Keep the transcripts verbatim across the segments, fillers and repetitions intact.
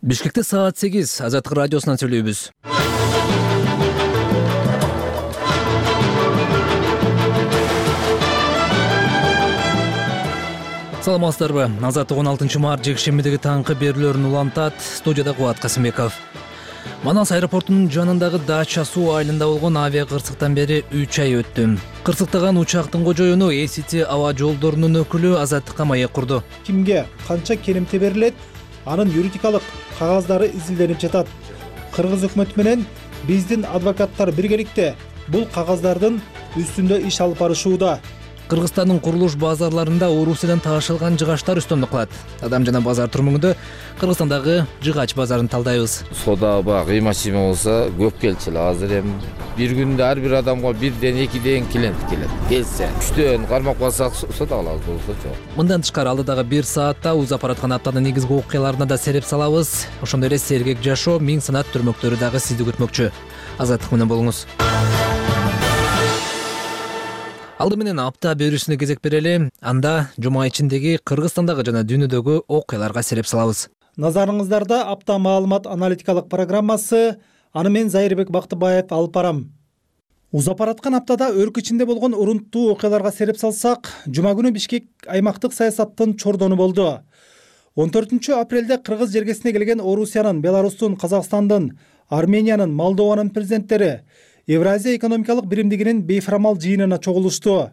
Бишкекте саат сегиз Азаттык радиосунан сүйлөйбүз. Саламатсыздарбы? Азаттык он алтынчы март жекшембидеги таңкы берүүлөрүн улантат. Студияда Кубат Касымбеков. Манас аэропортунун жанындагы Дача суу айылында болгон авиа кырсыктан бери үч ай өттү. Кырсыктаган учактын кожоюну Эй Си Ти аба жолдорунун өкүлү Азаттыкка маек курду. Кимге канча керемте берилет, анын юридикалык кагаздары изилденип жатат. Кыргыз өкмөтү менен биздин адвокаттар биргеликте бул кагаздардын үстүндө иш алып барышууда. Кыргызстандын курулуш базарларында Орусиядан таашылган жыгачтар үстөмдүк кылат. Адам жана базар турмугунда Кыргызстандагы жыгач базарын талдайбыз. Сода ба кыйма-чийма болсо көп келчү эле. Азыр эми бир күндө ар бир адамга бирден экиден клиент келет. Келсе үчтөн кармап калсак сода алабыз, болсо жок. Мындан тышкары алдыдагы бир саатта узап бараткан аптанын негизги окуяларына да сереп салабыз. Ошондой эле сергек жашоо, миң санат түрмөктөрү дагы сизди күтмөкчү. Азаттык менен болуңуз. Алды менен апта берүүсүнө кезек берели. Анда жума ичиндеги Кыргызстандагы жана дүйнөдөгү окуяларга сереп салабыз. Назарыңыздарда апта маалымат аналитикалык программасы. Аны мен Зайырбек Бактыбаев алып барам. Узап бараткан аптада өлкө ичинде болгон урунттуу окуяларга сереп салсак, жума күнү Бишкек аймактык саясаттын чордону болду. он төртүнчү апрелде Кыргыз жергесине келген Орусиянын, Беларустун, Казакстандын, Армениянын, Молдованын президенттери Евразия экономикалык биримдигинин бейформал жыйынына чогулушту.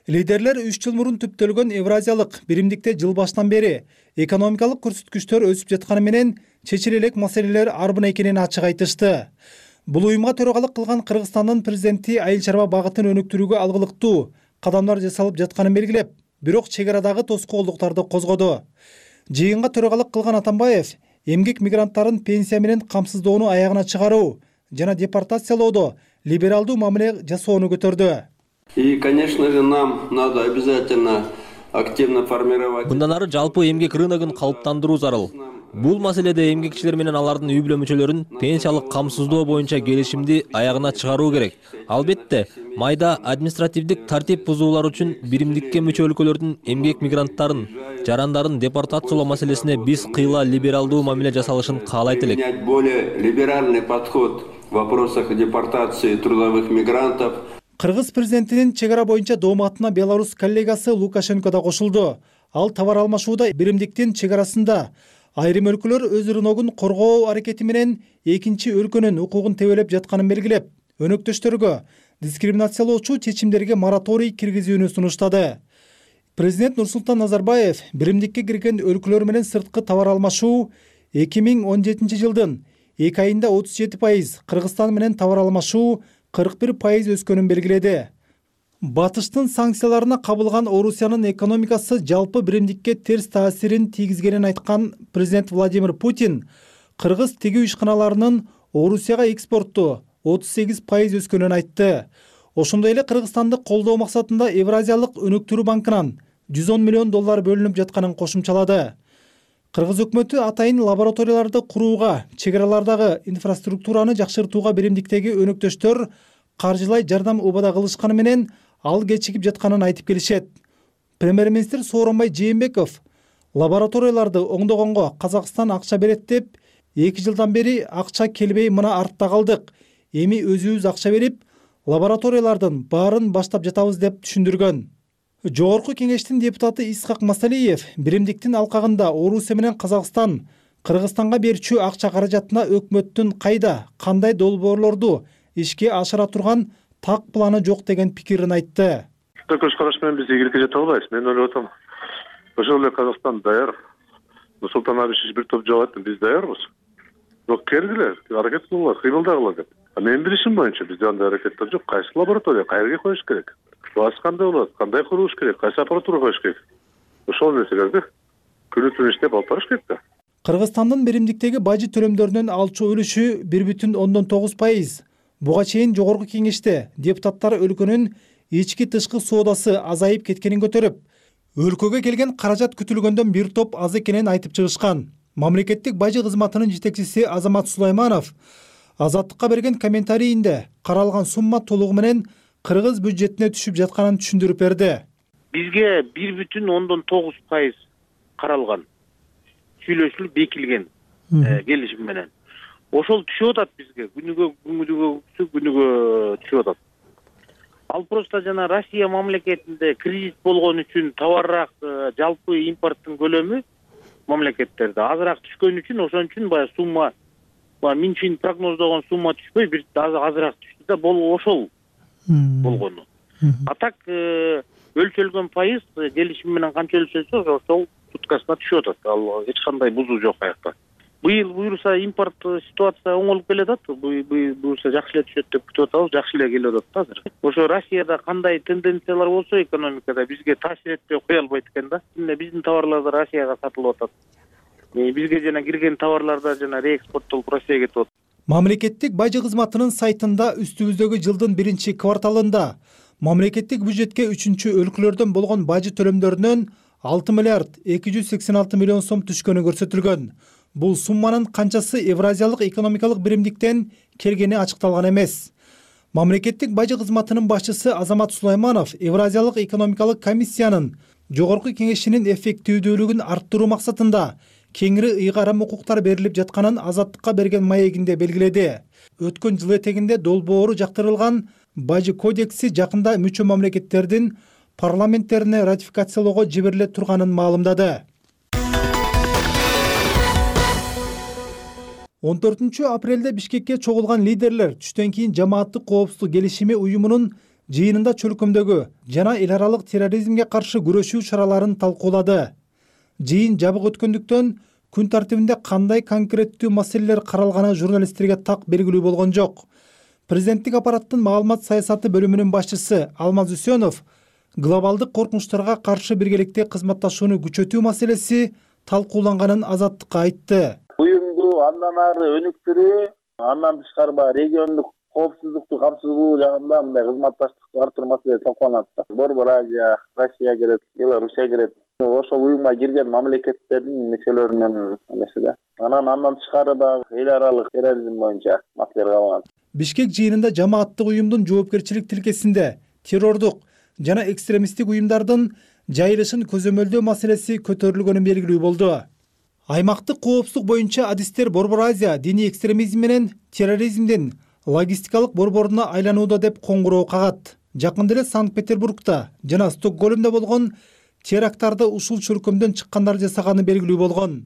Лидерлер үч жыл мурун түптөлгөн Евразиялык биримдикте жыл башынан бери экономикалык көрсөткүчтөр өсүп жатканы менен чечиле элек маселелер арбын экенин ачык айтышты. Бул уюмга төрагалык кылган Кыргызстандын президенти айыл чарба багытын өнүктүрүүгө алгылыктуу кадамдар жасалып жатканын белгилеп, бирок чек арадагы тоскоолдуктарды козгоду. Жыйынга төрагалык кылган Атамбаев эмгек мигранттарын пенсия менен камсыздоону аягына чыгаруу жана депортациялоодо либералдуу мамиле жасоону көтөрдү. И, конечно же, нам надо обязательно активно формировать. Мындан ары жалпы эмгек рыногун калыптандыруу зарыл. Бул маселеде эмгекчилер менен алардын үй бүлө мүчөлөрүн пенсиялык камсыздоо боюнча келишимди аягына чыгаруу керек. Албетте, майда административдик тартип бузуулар үчүн биримдикке мүчө өлкөлөрдүн эмгек мигранттарын, жарандарын депортациялоо маселесине биз кыйла либералдуу мамиле жасалышын каалайт элек. Более либеральный подход в вопросах депортации трудовых мигрантов. Кыргыз президентинин чек ара боюнча дооматына Беларус коллегасы Лукашенко да кошулду. Ал товар алмашууда биримдиктин чек арасында айрым өлкөлөр өз рыногун коргоо аракети менен экинчи өлкөнүн укугун тебелеп жатканын белгилеп, өнөктөштөргө дискриминациялоочу чечимдерге мораторий киргизүүнү сунуштады. Президент Нурсултан Назарбаев биримдикке кирген өлкөлөр менен сырткы товар алмашуу эки миң он жетинчи жылдын эки айында отуз жети пайыз, Кыргызстан менен товар алмашуу кырк бир пайыз өскөнүн белгиледи. Батыштын санкцияларына кабылган Орусиянын экономикасы жалпы биримдикке терс таасирин тийгизгенин айткан президент Владимир Путин кыргыз тигүү ишканаларынын Орусияга экспортту отуз сегиз пайыз өскөнүн айтты. Ошондой эле Кыргызстанды колдоо максатында Евразиялык өнүктүрүү банкынан жүз он миллион доллар бөлүнүп жатканын кошумчалады. Кыргыз өкмөтү атайын лабораторияларды курууга, чек аралардагы инфраструктураны жакшыртууга биримдиктеги өнөктөштөр каржылай жардам убада кылышканы менен ал кечигип жатканын айтып келишет. Премьер-министр Сооронбай Жээнбеков лабораторияларды оңдогонго Казакстан акча берет деп, эки жылдан бери акча келбей мына артта калдык. Эми өзүбүз акча берип, лабораториялардын баарын баштап жатабыз деп түшүндүргөн. Жогорку кеңештин депутаты Исхак Масалиев биримдиктин алкагында Орусия менен Казакстан Кыргызстанга берчү акча каражатына өкмөттүн кайда, кандай долбоорлорду ишке ашыра турган так планы жок деген пикирин айтты. Көз караш менен биз ийгиликке жете албайбыз. Мен ойлоп атам. Ошол эле Казакстан даяр. Нурсултан Абишевич бир топ жок айтты, биз даярбыз. Бирок келгиле, аракет кылгыла, кыймылдагыла деп. Менин билишим боюнча бизде андай аракеттер жок. Кайсы лаборатория, кайерге коюш керек? Баасы кандай болот, кандай курулуш керек, кайсы аппаратура коюш керек? Ошол нерселерди күнү түнү иштеп алып барыш керек да. Кыргызстандын биримдиктеги бажы төлөмдөрүнүн алчу үлүшү бир бүтүн ондон тогуз пайыз. Буга чейин жогорку кеңеште депутаттар өлкөнүн ички тышкы соодасы азайып кеткенин көтөрүп, өлкөгө келген каражат күтүлгөндөн бир топ аз экенин айтып чыгышкан. Мамлекеттик бажы кызматынын жетекчиси Азамат Сулайманов Азаттыкка берген комментарийинде каралган сумма толугу менен кыргыз бюджетине түшүп жатканын түшүндүрүп берди. Бизге бир бүтүн ондон тогуз пайыз каралган. Сүйлөшүлүп бекилген. келишим менен. Ошол түшүп атат бизге. Күнүгө күнүгө күнүгө түшүп атат. Ал просто жана Россия мамлекетинде кризис болгон үчүн товарраак жалпы импорттун көлөмү мамлекеттерде азыраак түшкөн үчүн ошон үчүн баягы сумма баягы миң чин прогноздогон сумма түшпөй бир азыраак түштү да болу ошол болгону. А так өлчөлгөн пайыз келишим менен канча өлчөлсө ошол туткасына түшүп атат. Ал эч кандай бузуу жок аякта. Быйыл буюрса импорт ситуация оңолуп келатат. Буюрса жакшы эле түшөт деп күтүп атабыз. Жакшы эле келип атат да азыр. Ошо Россияда кандай тенденциялар болсо экономикада бизге таасир этпей кое албайт экен да. Биздин товарлар да Россияга сатылып атат. Бизге жана кирген товарлар да жана реэкспорттолуп Россияга кетип атат. Мамлекеттик бажы кызматынын сайтында үстүбүздөгү жылдын биринчи кварталында мамлекеттик бюджетке үчүнчү өлкөлөрдөн болгон бажы төлөмдөрүнөн алты миллиард эки жүз сексен алты миллион сом түшкөнү көрсөтүлгөн. Бул сумманын канчасы Евразиялык экономикалык биримдиктен келгени ачыкталган эмес. Мамлекеттик бажы кызматынын башчысы Азамат Сулайманов Евразиялык экономикалык комиссиянын жогорку кеңешинин эффективдүүлүгүн арттыруу максатында кеңири ыйгарым укуктар берилип жатканын Азаттыкка берген маегинде белгиледи. Өткөн жыл этегинде долбоору жактырылган бажы кодекси жакында мүчө мамлекеттердин парламенттерине ратификациялоого жибериле турганын маалымдады. он төртүнчү апрелде Бишкекке чогулган лидерлер түштөн кийин жамааттык коопсуздук келишими уюмунун жыйынында чөлкөмдөгү жана эл аралык терроризмге каршы күрөшүү чараларын талкуулады. Жыйын жабык өткөндүктөн күн тартибинде кандай конкреттүү маселелер каралганы журналисттерге так белгилүү болгон жок. Президенттик аппараттын маалымат саясаты бөлүмүнүн башчысы Алмаз Үсөнов глобалдык коркунучтарга каршы биргеликте кызматташууну күчөтүү маселеси талкууланганын Азаттыкка айтты. Уюмду андан ары өнүктүрүү, андан тышкары баягы региондук коопсуздукту камсыздоо жагында мындай кызматташтыкты арттыруу маселеси талкууланат. Борбор Азия, Россия кирет, Белоруссия кирет. Ошол уюмга кирген мамлекеттердин мүчөлөрүнүн эмеси да. Анан андан тышкары дагы эл аралык терроризм боюнча маселелер калган. Бишкек жыйынында жамааттык уюмдун жоопкерчилик тилкесинде террордук жана экстремисттик уюмдардын жайылышын көзөмөлдөө маселеси көтөрүлгөнү белгилүү болду. Аймактык коопсуздук боюнча адистер Борбор Азия диний экстремизм менен терроризмдин логистикалык борборуна айланууда деп коңгуроо кагат. Жакында эле Санкт-Петербургда жана Стокгольмдо болгон теракттарды ушул чөлкөмдөн чыккандар жасаганы белгилүү болгон.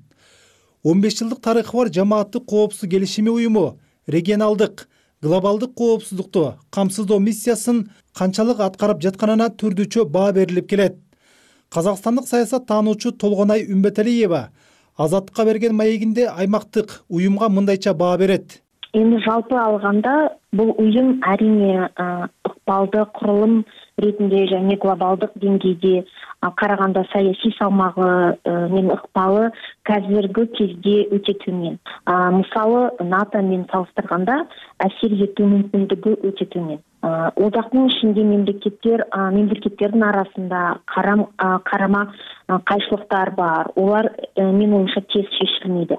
он беш жылдык тарыхы бар жамааттык коопсуздук келишими уюму регионалдык, глобалдык коопсуздукту камсыздоо миссиясын канчалык аткарып жатканына түрдүчө баа берилип келет. Казакстандык саясат таануучу Толгонай Үмбеталиева Азаттыкка берген маегинде аймактык уюмга мындайча баа берет. Эми жалпы алганда бул уюм арине ыкпалдуу курулум ретинде және глобалдык деңгейде караганда саясий салмагы менен ыкпалы қазіргі кезде өте төмен. Мисалы НАТО менен салыштырганда әсер этүү мүмкүндүгү өте төмен. Одактын ичинде мемлекеттер мемлекеттердин арасында карам карама кайшылыктар бар. Олар менин оюмча тез чечилмейди.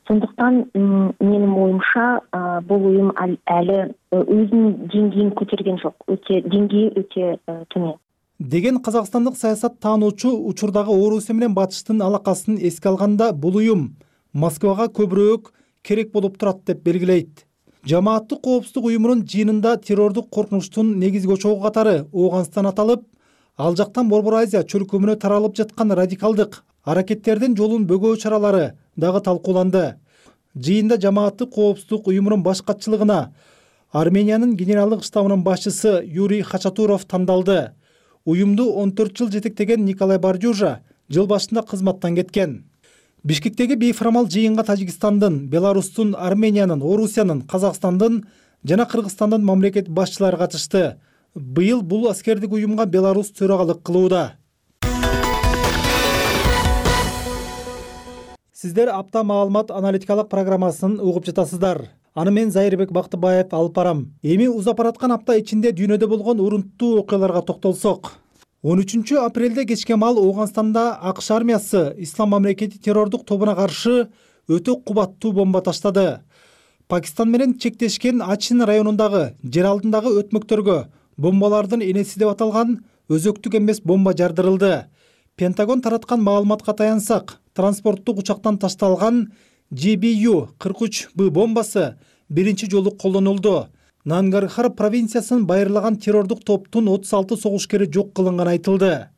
Сондуктан менин оюмча бул уюм әлі өзүнүн деңгейин көтөргөн жок. Өтө деңгейи өтө төмен. Деген казакстандык саясат таануучу учурдагы Орусия менен Батыштын алакасын эске алганда бул уюм Москвага көбүрөөк керек болуп турат деп белгилейт. Жамааттык коопсуздук уюмунун жыйынында террордук коркунучтун негизги очогу катары Ооганстан аталып, ал жактан Борбор Азия чөлкөмүнө таралып жаткан радикалдык аракеттердин жолун бөгөө чаралары дагы талкууланды. Жыйында жамааттык коопсуздук уюмунун баш катчылыгына Армениянын генералдык штабынын башчысы Юрий Хачатуров тандалды. Уюмду он төрт жыл жетектеген Николай Бардюжа жыл башында кызматтан кеткен. Бишкектеги бейформал жыйынга Тажикстандын, Беларустун, Армениянын, Орусиянын, Казакстандын жана Кыргызстандын мамлекет башчылары катышты. Быйыл бул аскердик уюмга Беларус төрагалык кылууда. Сиздер апта маалымат аналитикалык программасын угуп жатасыздар. Аны мен Зайырбек Бактыбаев алып барам. Эми узап бараткан апта ичинде дүйнөдө болгон урунттуу окуяларга токтолсок. он үчүнчү апрелде кечке маал Ооганстанда АКШ армиясы Ислам мамлекети террордук тобуна каршы өтө кубаттуу бомба таштады. Пакистан менен чектешкен Ачин районундагы жер алдындагы өтмөктөргө бомбалардын энеси деп аталган өзөктүк эмес бомба жардырылды. Пентагон тараткан маалыматка таянсак, транспорттук учактан ташталган Ж Б Ю кырк үч Б бомбасы биринчи жолу колдонулду. Нангархар провинциясын байырлаган террордук топтун отуз алты согушкери жок кылынганы айтылды.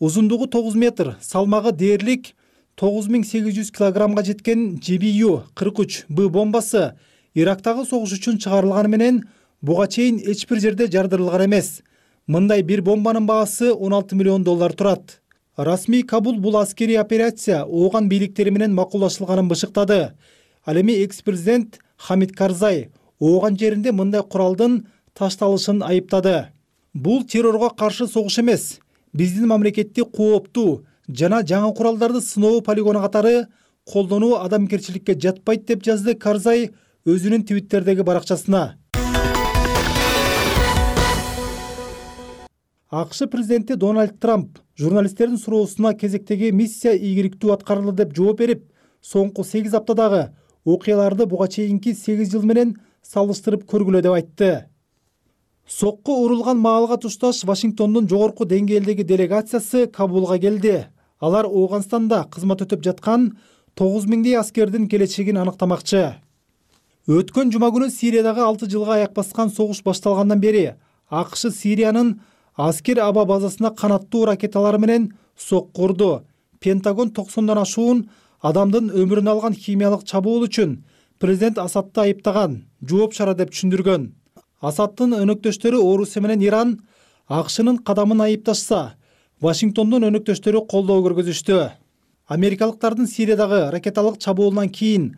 Узундугу тогуз метр, салмагы дээрлик тогуз миң сегиз жүз килограммга жеткен Ж Б Ю кырк үч Б бомбасы Ирактагы согуш үчүн чыгарылганы менен буга чейин эч бир жерде жардырылган эмес. Мындай бир бомбанын баасы он алты миллион доллар турат. Расмий Кабул бул аскерий операция ооган бийликтери менен макулдашылганын бышыктады. Ал эми экс-президент Хамид Карзай ооган жеринде мындай куралдын ташталышын айыптады. Бул террорго каршы согуш эмес, биздин мамлекетти кооптуу жана жаңы куралдарды сыноо полигону катары колдонуу адамгерчиликке жатпайт деп жазды Карзай өзүнүн Твиттердеги баракчасына. АКШ президенти Дональд Трамп журналисттердин суроосуна кезектеги миссия ийгиликтүү аткарылды деп жооп берип, соңку сегиз аптадагы окуяларды буга чейинки сегиз жыл менен салыштырып көргүлө деп айтты. Сокко урулган маалга тушташ Вашингтондун жогорку деңгээлдеги делегациясы Кабулга келди. Алар Ооганстанда кызмат өтөп жаткан тогуз миңдей аскердин келечегин аныктамакчы. Өткөн жума күнү Сириядагы алты жылга аяк баскан согуш башталгандан бери АКШ Сириянын аскер аба базасына канаттуу ракеталар менен сокку урду. Пентагон токсондон ашуун адамдын өмүрүн алган химиялык чабуул үчүн президент Асадты айыптаган, жооп чара деп түшүндүргөн. Асадтын өнөктөштөрү Орусия менен Иран АКШнын кадамын айыпташса, Вашингтондун өнөктөштөрү колдоо көргөзүштү. Америкалыктардын Сириядагы ракеталык чабуулунан кийин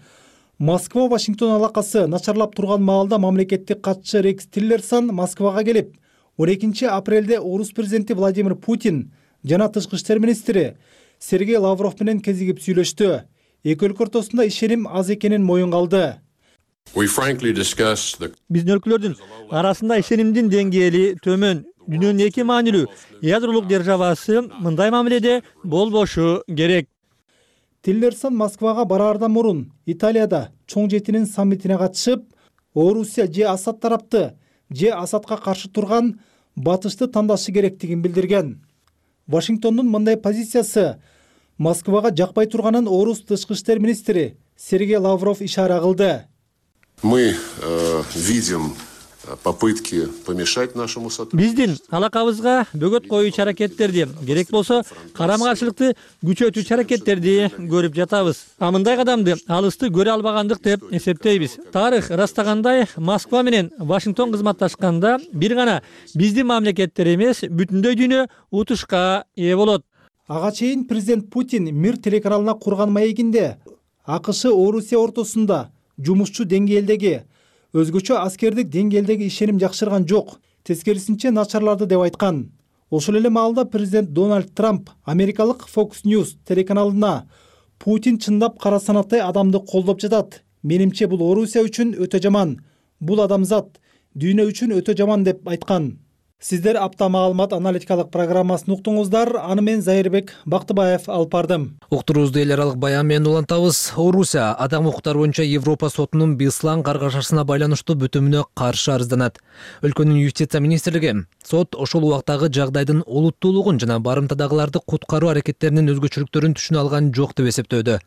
Москва Вашингтон алакасы начарлап турган маалда мамлекеттик катчы Рекс Тиллерсон Москвага келип, он экинчи апрелде Орус президенти Владимир Путин жана тышкы иштер министри Сергей Лавров менен кезигип сүйлөштү. Эки өлкө ортосунда ишеним аз экенин моюнга алды. Биздин өлкөлөрдүн арасында ишенимдин деңгээли төмөн. Дүйнөнүн эки маанилүү ядролук державасы мындай мамиледе болбошу керек. Тиллерсон Москвага бараардан мурун Италияда чоң жетинин саммитине катышып, Орусия же Асад тарапты, же Асадка каршы турган батышты тандашы керектигин билдирген. Вашингтондун мындай позициясы Москвага жакпай турганын Орус тышкы иштер министри Сергей Лавров ишара кылды. Мы видим попытки помешать нашему сотрудничеству. Биздин алакабызга бөгөт коюучу аракеттерди, керек болсо карама-каршылыкты күчөтүүчү аракеттерди көрүп жатабыз. А мындай кадамды алысты көрө албагандык деп эсептейбиз. Тарых ырастагандай, Москва менен Вашингтон кызматташканда бир гана биздин мамлекеттер эмес, бүтүндөй дүйнө утушка ээ болот. Ага чейин президент Путин Мир телеканалына курган маегинде АКШ Орусия ортосунда жумушчу деңгээлдеги, өзгөчө аскердик деңгээлдеги ишеним жакшырган жок, тескерисинче начарларды деп айткан. Ошол эле маалда президент Дональд Трамп америкалык Fox News телеканалына Путин чындап кара санаттай адамды колдоп жатат. Менимче бул Орусия үчүн өтө жаман, бул адамзат, дүйнө үчүн өтө жаман деп айткан. Сиздер апта маалымат аналитикалык программасын уктуңуздар. Аны мен Зайырбек Бактыбаев алып бардым. Уктуруубузду эл аралык баян менен улантабыз. Орусия адам укуктары боюнча Европа сотунун Беслан каргашасына байланыштуу бүтүмүнө каршы арызданат. Өлкөнүн юстиция министрлиги сот ошол убактагы жагдайдын олуттуулугун жана барымтадагыларды куткаруу аракеттеринин өзгөчөлүктөрүн түшүнө алган жок деп эсептөөдө.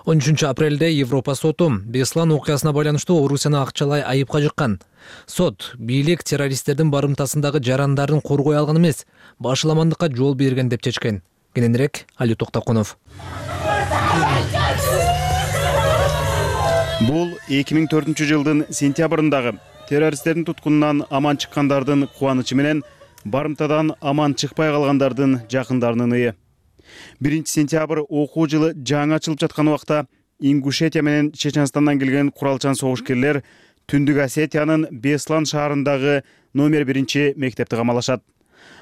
он үчүнчү апрелде Европа соту Беслан окуясына байланыштуу Орусияны акчалай айыпка жыккан. Сот бийлик террористтердин барымтасындагы жарандарын коргой алган эмес, башыламандыкка жол берген деп чечкен. Кененирээк Али Токтокунов. Бул эки миң төртүнчү жылдын сентябрындагы террористтердин туткунунан аман чыккандардын кубанычы менен барымтадан аман чыкпай калгандардын жакындарынын ыы. биринчи сентябрь окуу жылы жаңы ачылып жаткан убакта Ингушетия менен Чеченстандан келген куралчан согушкерлер Түндүк Осетиянын Беслан шаарындагы номер биринчи мектепти камалашат.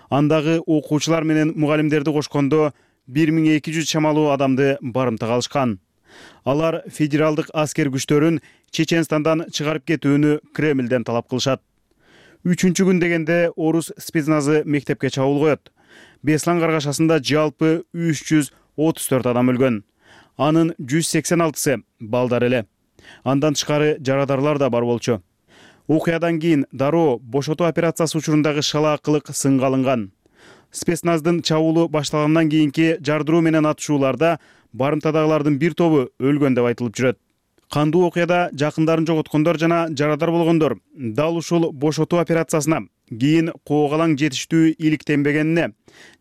Андагы окуучулар менен мугалимдерди кошкондо бир миң эки жүз чамалуу адамды барымтага алышкан. Алар федералдык аскер күчтөрүн Чеченстандан чыгарып кетүүнү Кремлден талап кылышат. Үчүнчү күн дегенде орус спецназы мектепке чабуул коет. Беслан каргашасында жалпы үч жүз отуз төрт адам өлгөн. Анын жүз сексен алтысы балдар эле. Андан тышкары жарадарлар да бар болчу. Окуядан кийин дароо бошотуу операциясы учурундагы шалаакылык сынга алынган. Спецназдын чабуулу башталгандан кийинки жардыруу менен атышууларда барымтадагылардын бир тобу өлгөн деп айтылып жүрөт. Кандуу окуяда жакындарын жоготкондор жана жарадар болгондор дал ушул бошотуу операциясына кийин коогалаң жетиштүү иликтенбегенине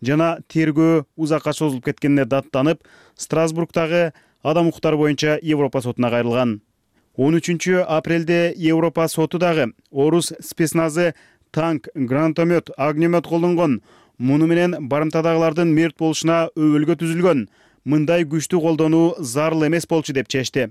жана тергөө узакка созулуп кеткенине даттанып, Страсбургдагы адам укуктары боюнча Европа сотуна кайрылган. он үчүнчү апрелде Европа соту дагы орус спецназы танк, гранатомет, огнемет колдонгон, муну менен барымтадагылардын мерт болушуна өбөлгө түзүлгөн, мындай күчтү колдонуу зарыл эмес болчу деп чечти.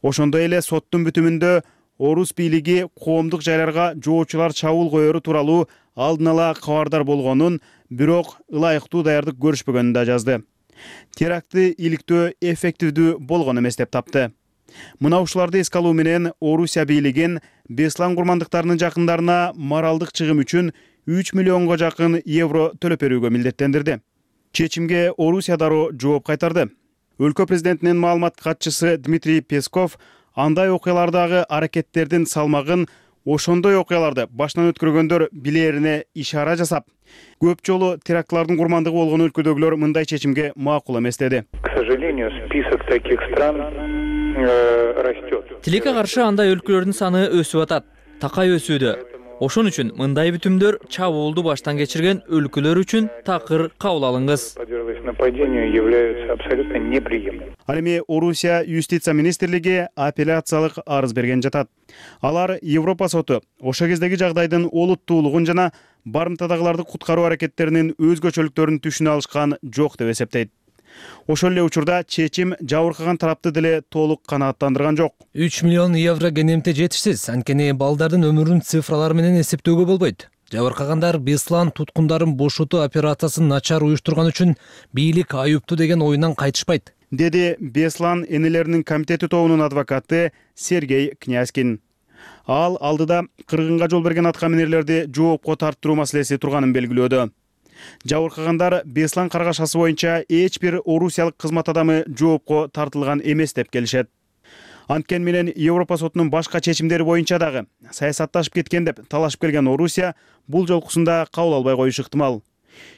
Ошондой эле соттун бүтүмүндө орус бийлиги коомдук жайларга жоочулар чабуул коеру тууралуу алдын ала кабардар болгонун, бирок ылайыктуу даярдык көрүшпөгөнүн да жазды. Терактты иликтөө эффективдүү болгон эмес деп тапты. Мына ушуларды эске алуу менен Орусия бийлигин Беслан курмандыктарынын жакындарына моралдык чыгым үчүн үч миллионго жакын евро төлөп берүүгө милдеттендирди. Чечимге Орусия дароо жооп кайтарды. Өлкө президентинин маалымат катчысы Дмитрий Песков андай окуялардагы аракеттердин салмагын ошондой окуяларды башынан өткөргөндөр билерине ишара жасап, көп жолу терактлардын курмандыгы болгон өлкөдөгүлөр мындай чечимге макул эмес деди. К сожалению, список таких стран растет. Тилекке каршы андай өлкөлөрдүн саны өсүп атат, такай өсүүдө. Ошон үчүн мындай бүтүмдөр чабуулду баштан кечирген өлкөлөр үчүн такыр кабыл алыңыз. Ал эми Орусия юстиция министрлиги апелляциялык арыз берген жатат. Алар Европа соту ошо кездеги жагдайдын олуттуулугун жана барымтадагыларды куткаруу аракеттеринин өзгөчөлүктөрүн түшүнө алышкан жок деп эсептейт. Ошол эле учурда чечим жабыркаган тарапты деле толук канааттандырган жок. үч миллион евро кенемте жетишсиз, анткени балдардын өмүрүн цифралар менен эсептөөгө болбойт. Жабыркагандар Беслан туткундарын бошотуу операциясын начар уюштурган үчүн бийлик айыптуу деген оюнан кайтышпайт, деди Беслан энелеринин комитети тобунун адвокаты Сергей Князькин. Ал алдыда кыргынга жол берген аткаминерлерди жоопко тарттыруу маселеси турганын белгилөөдө. Жабыркагандар Беслан каргашасы боюнча эч бир орусиялык кызмат адамы жоопко тартылган эмес деп келишет. Анткени менен Европа сотунун башка чечимдери боюнча дагы саясатташып кеткен деп талашып келген Орусия бул жолкусунда кабыл албай коюшу ыктымал.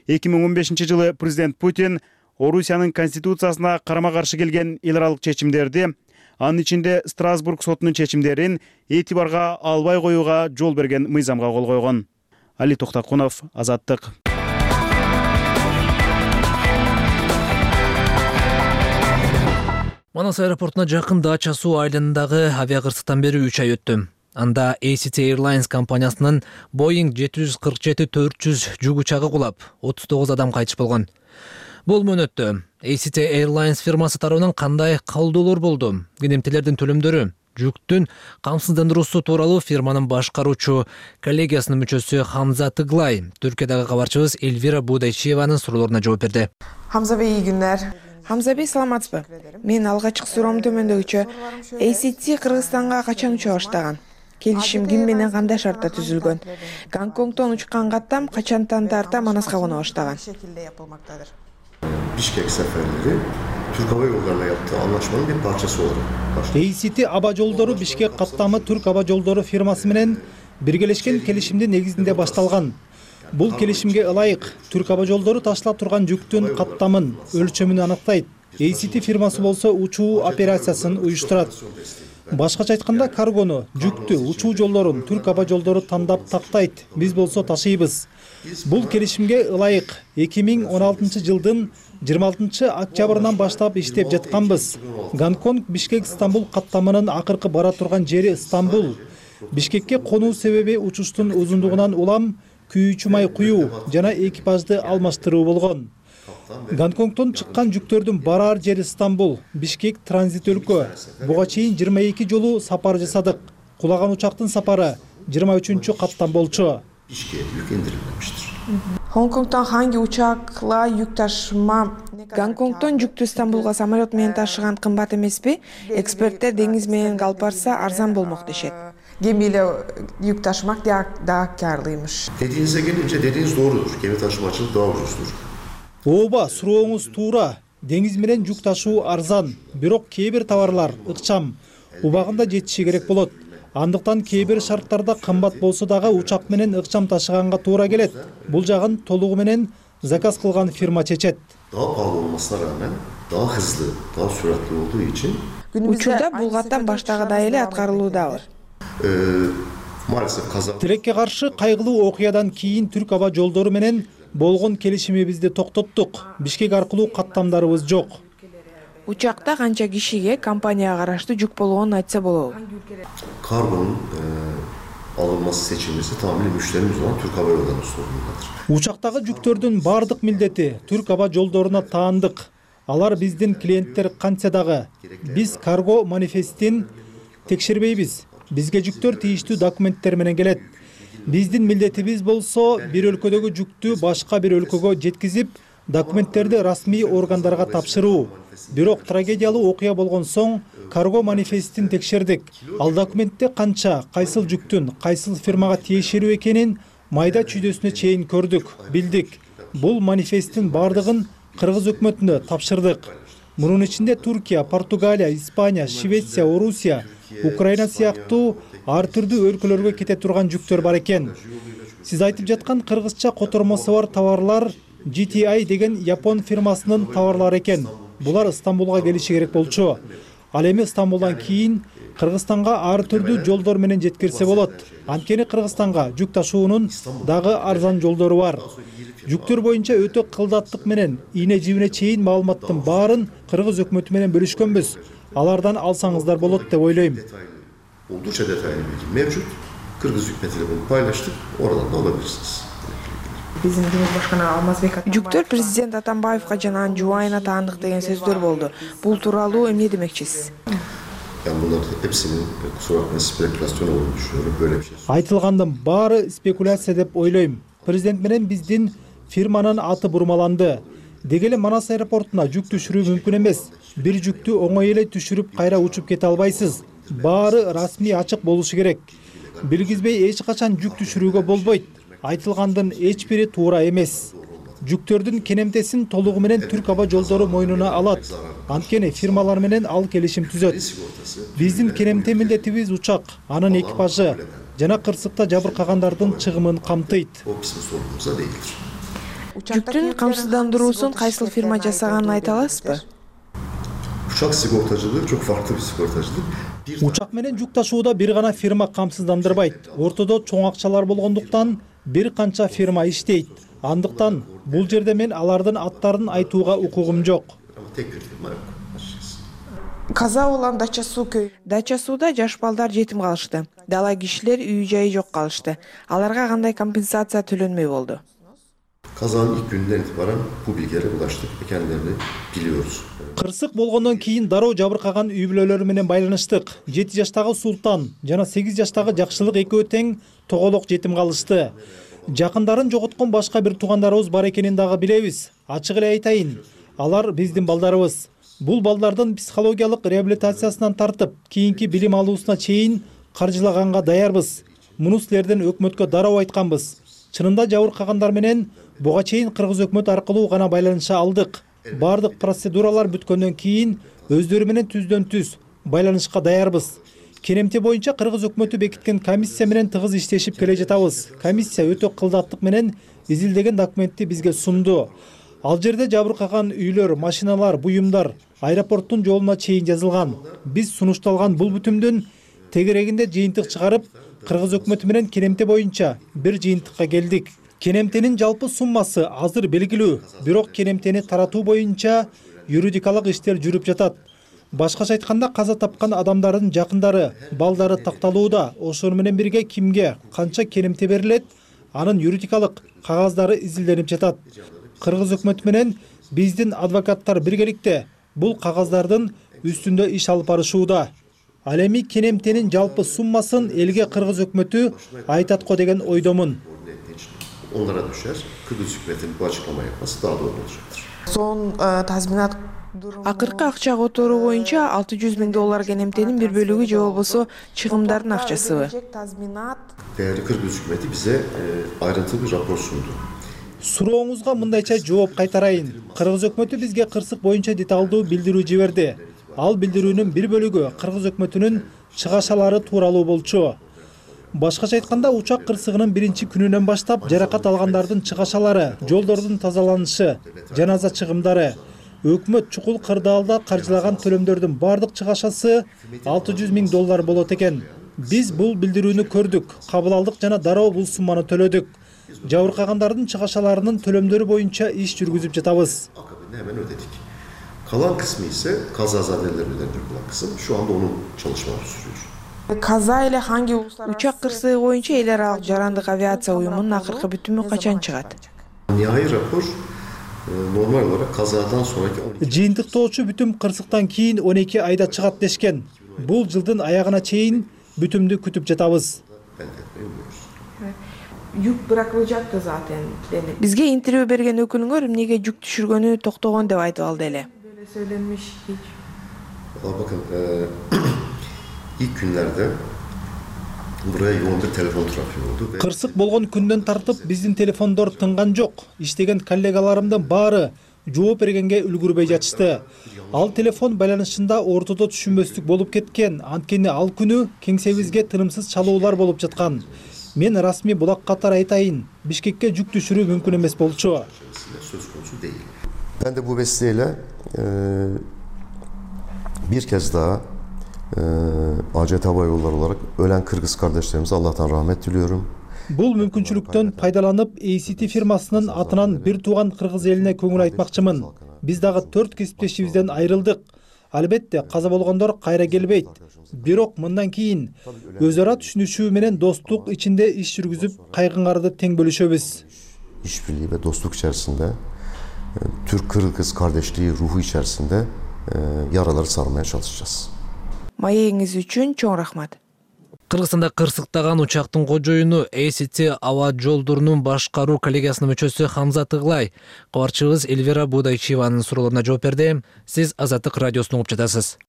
эки миң он бешинчи жылы президент Путин Орусиянын конституциясына карама-каршы келген эл аралык чечимдерди, анын ичинде Страсбург сотунун чечимдерин этибарга албай коюуга жол берген мыйзамга кол койгон. Али Токтакунов, Азаттык. Манас аэропортуна жакын Дача суу айылындагы авиакырсыктан бери үч ай өттү. Анда A C T Airlines компаниясынын Boeing жети жүз кырк жети төрт жүз жүк учагы кулап, отуз тогуз адам кайтыш болгон. Бул мөөнөттө A C T Airlines фирмасы тарабынан кандай калдоолор болду? Кенемтелердин төлөмдөрү, жүктүн камсыздандыруусу тууралуу фирманын башкаруучу коллегиясынын мүчөсү Хамза Тыглай Түркиядагы кабарчыбыз Эльвира Будайчиеванын суроолоруна жооп берди. Хамза бей, iyi günler. Хамза бей, саламатсызбы? Мен алгачкы суроом төмөндөгүчө. A C T Кыргызстанга качан уча баштаган? Келишим ким менен кандай шартта түзүлгөн? Гонконгдон учкан каттам качантан тарта Манаска коно баштаган? Bişkek seferleri Türk Hava Yolları'na yaptığı anlaşmanın bir parçası olarak başladı. A C T Аба жолдору Бишкек каттамы Түрк Аба жолдору фирмасы менен биргелешкен келишимдин негизинде башталган. Бул келишимге ылайык Түрк Аба жолдору ташталып турган жүктүн каттамын, өлчөмүн анықтайт. A C T фирмасы болсо учуу операциясын уюштурат. Башкача айтканда, каргону, жүктү, учуу жолдорун Түрк Аба жолдору тандап тактайт. Биз болсо ташыйбыз. Бул келишимге ылайык эки миң он алтынчы жылдын жыйырма алтынчы октябрынан баштап иштеп жатканбыз. Гонконг Бишкек Стамбул каттамынын акыркы бара турган жери Стамбул. Бишкекке конуу себеби учуштун узундугунан улам күйүүчү май куюу жана экипажды алмаштыруу болгон. Гонконгдон чыккан жүктөрдүн барар жери Стамбул, Бишкек транзит өлкө. Буга чейин жыйырма эки жолу сапар жасадык. Кулаган учактын сапары жыйырма үчүнчү каттан болчу. Гонконгдон hangi учакла жүк ташыма? Гонконгдон жүктү Стамбулга самолет менен ташыган кымбат эмеспи? Эксперттер деңиз менен алып барса арзан болмок дешет. Gemiyle yük taşımak daha, daha karlıymış. Dediğinize gelince dediğiniz doğrudur. Gemi taşımacılık daha ucuzdur. Ооба, сурооңуз туура. Деңиз менен жүк ташуу арзан, бирок кээ бир товарлар ыкчам, убагында жетиши керек болот. Андыктан кээ бир шарттарда кымбат болсо дагы учак менен ыкчам ташыганга туура келет. Бул жагын толугу менен заказ кылган фирма чечет. daha pahalı olmasına rağmen daha hızlı, daha süratli olduğu için учурда бул каттам баштагыдай эле аткарылуудабы. Maalesef kaza Тилекке каршы кайгылуу окуядан кийин Түрк аба жолдору менен болгон келишимибизди токтоттук. Бишкек аркылуу каттамдарыбыз жок. Учакта канча кишиге компанияга караштуу жүк болгонун айтса болобу? kargonun e, alınması seçilmesi tamamen müşterimiz olan Türk Hava Yolları'nın sorumluluğudur. Учактагы жүктөрдүн бардык милдети Түрк аба жолдоруна таандык. Алар биздин клиенттер кантса дагы. Биз карго манифестин текшербейбиз. Бизге жүктөр тийиштүү документтер менен келет. Биздин милдетибиз болсо бир өлкөдөгү жүктү башка бир өлкөгө жеткизип, документтерди расмий органдарга тапшыруу. Бирок трагедиялуу окуя болгон соң карго манифестин текшердик. Ал документте канча, кайсыл жүктүн, кайсыл фирмага тиешелүү экенин майда чүйдөсүнө чейин көрдүк, билдик. Бул манифесттин бардыгын кыргыз өкмөтүнө тапшырдык. Мунун ичинде Туркия, Португалия, Испания, Швеция, Орусия, Украина сыяктуу ар түрдүү өлкөлөргө кете турган жүктөр бар экен. Сиз айтып жаткан кыргызча котормосу бар товарлар джи ти ай деген Япон фирмасынын товарлары экен. Булар Стамбулга келиши керек болчу. Ал эми Стамбулдан кийин Кыргызстанга ар түрдүү жолдор менен жеткирсе болот. Анткени Кыргызстанга жүк ташуунун дагы арзан жолдору бар. Жүктөр боюнча өтө кылдаттык менен ийне жибине чейин маалыматтын баарын кыргыз өкмөтү менен бөлүшкөнбүз. Алардан алсаңыздар болот деп ойлойм. Oldukça detaylı bilgi mevcut. Kırgız hükümetiyle bunu paylaştık. Oradan da alabilirsiniz. Биздин Cumhurbaşkanı Алмазбек жүктөр президент Атамбаевга жана анын жубайына таандык деген сөздөр болду. Бул тууралуу эмне демекчисиз? Ben bunların hepsinin kusura bakmayın spekülasyon olduğunu düşünüyorum. Böyle bir şey. Айтылгандын баары спекуляция деп ойлойм. Президент менен биздин фирманын аты бурмаланды. Деги эле Манас аэропортуна жүк түшүрүү мүмкүн эмес. Бир жүктү оңой эле түшүрүп кайра учуп кете албайсыз. Баары расмий ачык болушу керек. Билгизбей эч качан жүк түшүрүүгө болбойт. Айтылгандын эч бири туура эмес. Жүктөрдүн кенемтесин толугу менен Түрк аба жолдору мойнуна алат. Анткени фирмалар менен ал келишим түзөт. Биздин кенемте милдетибиз учак, анын экипажы жана кырсыкта жабыркагандардын чыгымын камтыйт. Жүктүн камсыздандыруусун кайсыл фирма жасаганын айта аласызбы? Uçak sigortacılığı çok farklı bir sigortacılık. Учак менен жүк ташууда бир гана фирма камсыздандырбайт. Ортодо чоң акчалар болгондуктан бир канча фирма иштейт. Андыктан бул жерде мен алардын аттарын айтууга укугум жок. Каза болгон Дача суу көй. Дача сууда жаш балдар жетим калышты. Дала кишилер үй жайы жок калышты. Аларга кандай компенсация төлөнмөй болду? Kazanın ilk günden itibaren bu bilgilere ulaştık ve kendilerini biliyoruz. Кырсык болгондон кийин дароо жабыркаган үй бүлөлөрү менен байланыштык. жети жаштагы Султан жана сегиз жаштагы Жакшылык экөө тең тоголок жетим калышты. Жакындарын жоготкон башка бир туугандарыбыз бар экенин дагы билебиз. Ачык эле айтайын, алар биздин балдарыбыз. Бул балдардын психологиялык реабилитациясынан тартып, кийинки билим алуусуна чейин каржылаганга даярбыз. Муну силерден өкмөткө дароо айтканбыз. Чынында жабыркагандар менен буга чейин кыргыз өкмөт аркылуу гана байланыша алдык. Бардык процедуралар бүткөндөн кийин өздөрү менен түздөн түз байланышка даярбыз. Кенемте боюнча кыргыз өкмөтү бекиткен комиссия менен тыгыз иштешип келе жатабыз. Комиссия өтө кылдаттык менен изилдеген документти бизге сунду. Ал жерде жабыркаган үйлөр, машиналар, буюмдар аэропорттун жолуна чейин жазылган. Биз сунушталган бул бүтүмдүн тегерегинде жыйынтык чыгарып, кыргыз өкмөтү менен кенемте боюнча бир жыйынтыкка келдик. Кенемтенин жалпы суммасы азыр белгилүү, бирок кенемтени таратуу боюнча юридикалык иштер жүрүп жатат. Башкача айтканда каза тапкан адамдардын жакындары, балдары такталууда. Ошону менен бирге кимге канча кенемте берилет, анын юридикалык кагаздары изилденип жатат. Кыргыз өкмөтү менен биздин адвокаттар биргеликте бул кагаздардын үстүндө иш алып барышууда. Ал эми кенемтенин жалпы суммасын элге кыргыз өкмөтү айтат го деген ойдомун. Onlara düşer. Kıbrıs hükümetinin bu açıklama yapması daha doğru olacaktır. Son tazminat акыркы акча которуу боюнча алты жүз миң доллар кенемтенин бир бөлүгү же болбосо чыгымдардын акчасыбы? Değerli Kıbrıs hükümeti bize e, ayrıntılı bir rapor sundu. Сурооңузга мындайча жооп кайтарайын. Кыргыз өкмөтү бизге кырсык боюнча деталдуу билдирүү жиберди. Ал билдирүүнүн бир бөлүгү кыргыз өкмөтүнүн чыгашалары тууралуу болчу. Башкача айтканда учак кырсыгынын биринчи күнүнөн баштап жаракат алгандардын чыгашалары, жолдордун тазаланышы, жаназа чыгымдары, өкмөт чукул кырдаалда каржылаган төлөмдөрдүн бардык чыгашасы алты жүз миң доллар болот экен. Биз бул билдирүүнү көрдүк, кабыл алдык жана дароо бул сумманы төлөдүк. Жабыркагандардын чыгашаларынын төлөмдөрү боюнча иш жүргүзүп жатабыз. Hemen ödedik. Kalan kısmı ise kazazadeler ödenecek olan kısım. Şu anda onun çalışmaları sürüyor. Kaza ile hangi uluslararası uçak kırığı boyunca el aralıq jarandык авиация уюмунун акыркы бүтүмү качан чыгат? Nihai rapor normal olarak kazadan sonraki жыйынтыктоочу бүтүм кырсыктан кийин он эки айда чыгат дешкен. Бул жылдын аягына чейин бүтүмдү күтүп жатабыз. Жүк быракылып жатты zaten. Бизге интервью берген өкүлүңөр эмнеге жүк түшүргөнү токтогон деп айтып алды эле. Böyle söylenmiş hiç. Valla bakın e, ilk günlerde buraya yoğun bir telefon trafiği oldu. Кырсык болгон күндөн тартып биздин телефондор тынган жок. Иштеген коллегаларымдын баары жооп бергенге үлгүрбөй жатышты. Ал телефон байланышында ортодо түшүнбөстүк болуп кеткен. Анткени ал күнү кеңсебизге тынымсыз чалуулар болуп жаткан. Мен расмий булак катары айтайын, Бишкекке жүк түшүрүү мүмкүн эмес болчу. Söz konusu değil. Ben de bu vesileyle e, bir kez daha e, A C T Hava Yolları olarak ölen Kırgız kardeşlerimize Allah'tan rahmet diliyorum. Бул мүмкүнчүлүктөн пайдаланып A C T фирмасынын атынан бир тууган кыргыз элине көңүл айтмакчымын. Биз дагы төрт кесиптешибизден айрылдык. Албетте каза болгондор кайра келбейт. Бирок мындан кийин өз ара түшүнүшүү менен достук ичинде иш жүргүзүп, кайгыңарды тең бөлүшөбүз. İşbirliği ve dostluk içerisinde e, Türk-Kırgız kardeşliği ruhu içerisinde e, yaraları sarmaya çalışacağız. Маегиңиз үчүн чоң рахмат. Кыргызстанда кырсыктаган учактын кожоюну A C T аба жолдорунун башкаруу коллегиясынын мүчөсү Хамза Тыглай кабарчыбыз Эльвира Будайчиеванын суроолоруна жооп берди. Сиз Азаттык радиосун угуп жатасыз.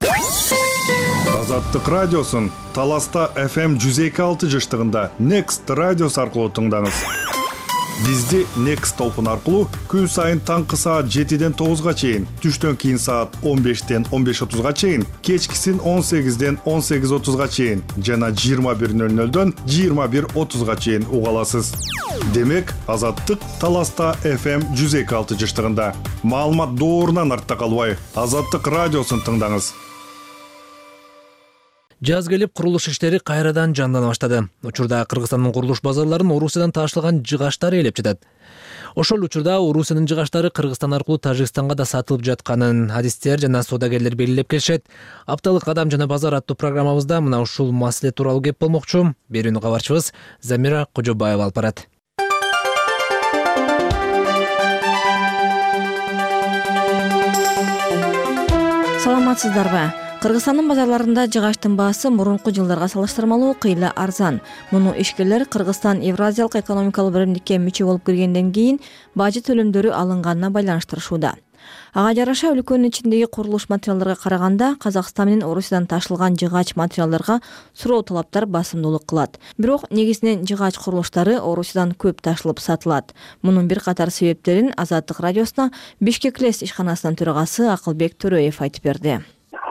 Азаттык радиосун Таласта эф эм жүз эки алты жыштыгында Next радиосу аркылуу тыңдаңыз. Бизди Next толкун аркылуу күн сайын таңкы саат жетиден тогузга чейин, түштөн кийин саат он бештен он беш отузга чейин, кечкисин он сегизден он сегиз отузга чейин жана жыйырма бир нөл нөлдөн жыйырма бир отузга чейин уга аласыз. Демек, Азаттык Таласта эф эм жүз эки алты жыштыгында. Маалымат доорунан артта калбай, Азаттык радиосун тыңдаңыз. Жаз келип, курулуш иштери кайрадан жандана баштады. Учурда Кыргызстандын курулуш базарларын Орусиядан ташталган жыгаштар ээлеп жатат. Ошол учурда Орусиянын жыгаштары Кыргызстан аркылуу Тажикстанга да сатылып жатканын адистер жана соодагерлер белгилеп келишет. Апталык Адам жана базар аттуу программабызда мына ушул маселе тууралуу кеп болмокчу. Берүүнү кабарчыбыз Замира Кожобаева алып барат. Саламатсыздарбы? Кыргызстандын базарларында жыгаштын баасы мурунку жылдарга салыштырмалуу кыйла арзан. Муну ишкерлер Кыргызстан Евразиялык экономикалык биримдикке мүчө болуп киргенден кийин бажы төлөмдөрү алынганына байланыштырышууда. Ага жараша өлкөнүн ичиндеги курулуш материалдарга караганда Казакстан менен Орусиядан ташылган жыгач материалдарга суроо талаптар басымдуулук кылат. Бирок негизинен жыгач курулуштары Орусиядан көп ташылып сатылат. Мунун бир катар себептерин Азаттык радиосуна Бишкек лес ишканасынын төрагасы Акылбек Төрөев айтып берди.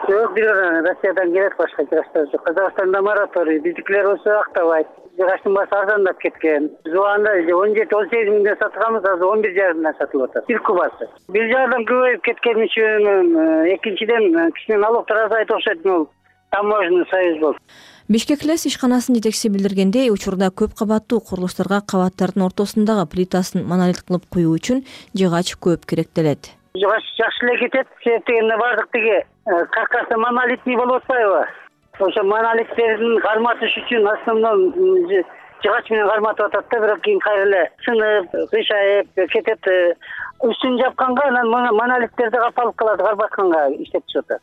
Yok, bir Rusya'dan gerek başka jıgaçlar yok. Kazakistan'da moratoriy, bizimkiler olsa aktavayt. Jıgaçtın bası arzandap ketken. Şu anda on yedi on sekiz minden satılgamız azı on bir jarımdan satılıp atar. Bir kubası. Bir jardan köpeyip ketken için ikinciden kişinin alıptır azayıp okşaytın ol. Таможенный союз бол. Бишкек лес ишканасынын жетекчиси билдиргендей, учурда көп кабаттуу курулуштарга кабаттардын ортосундагы плитасын монолит кылып куюу үчүн жыгач көп керектелет. Жыгач жакшы эле кетет, себеп дегенде бардык тиги каркасы монолитный болуп атпайбы? Ошо монолиттердин карматыш үчүн основном жыгач менен карматып атат да, бирок кийин кайра эле сынып, кыйшайып кетет. Үстүн жапканга анан монолиттерди капалып калат, карбатканга иштеп чыгып атат.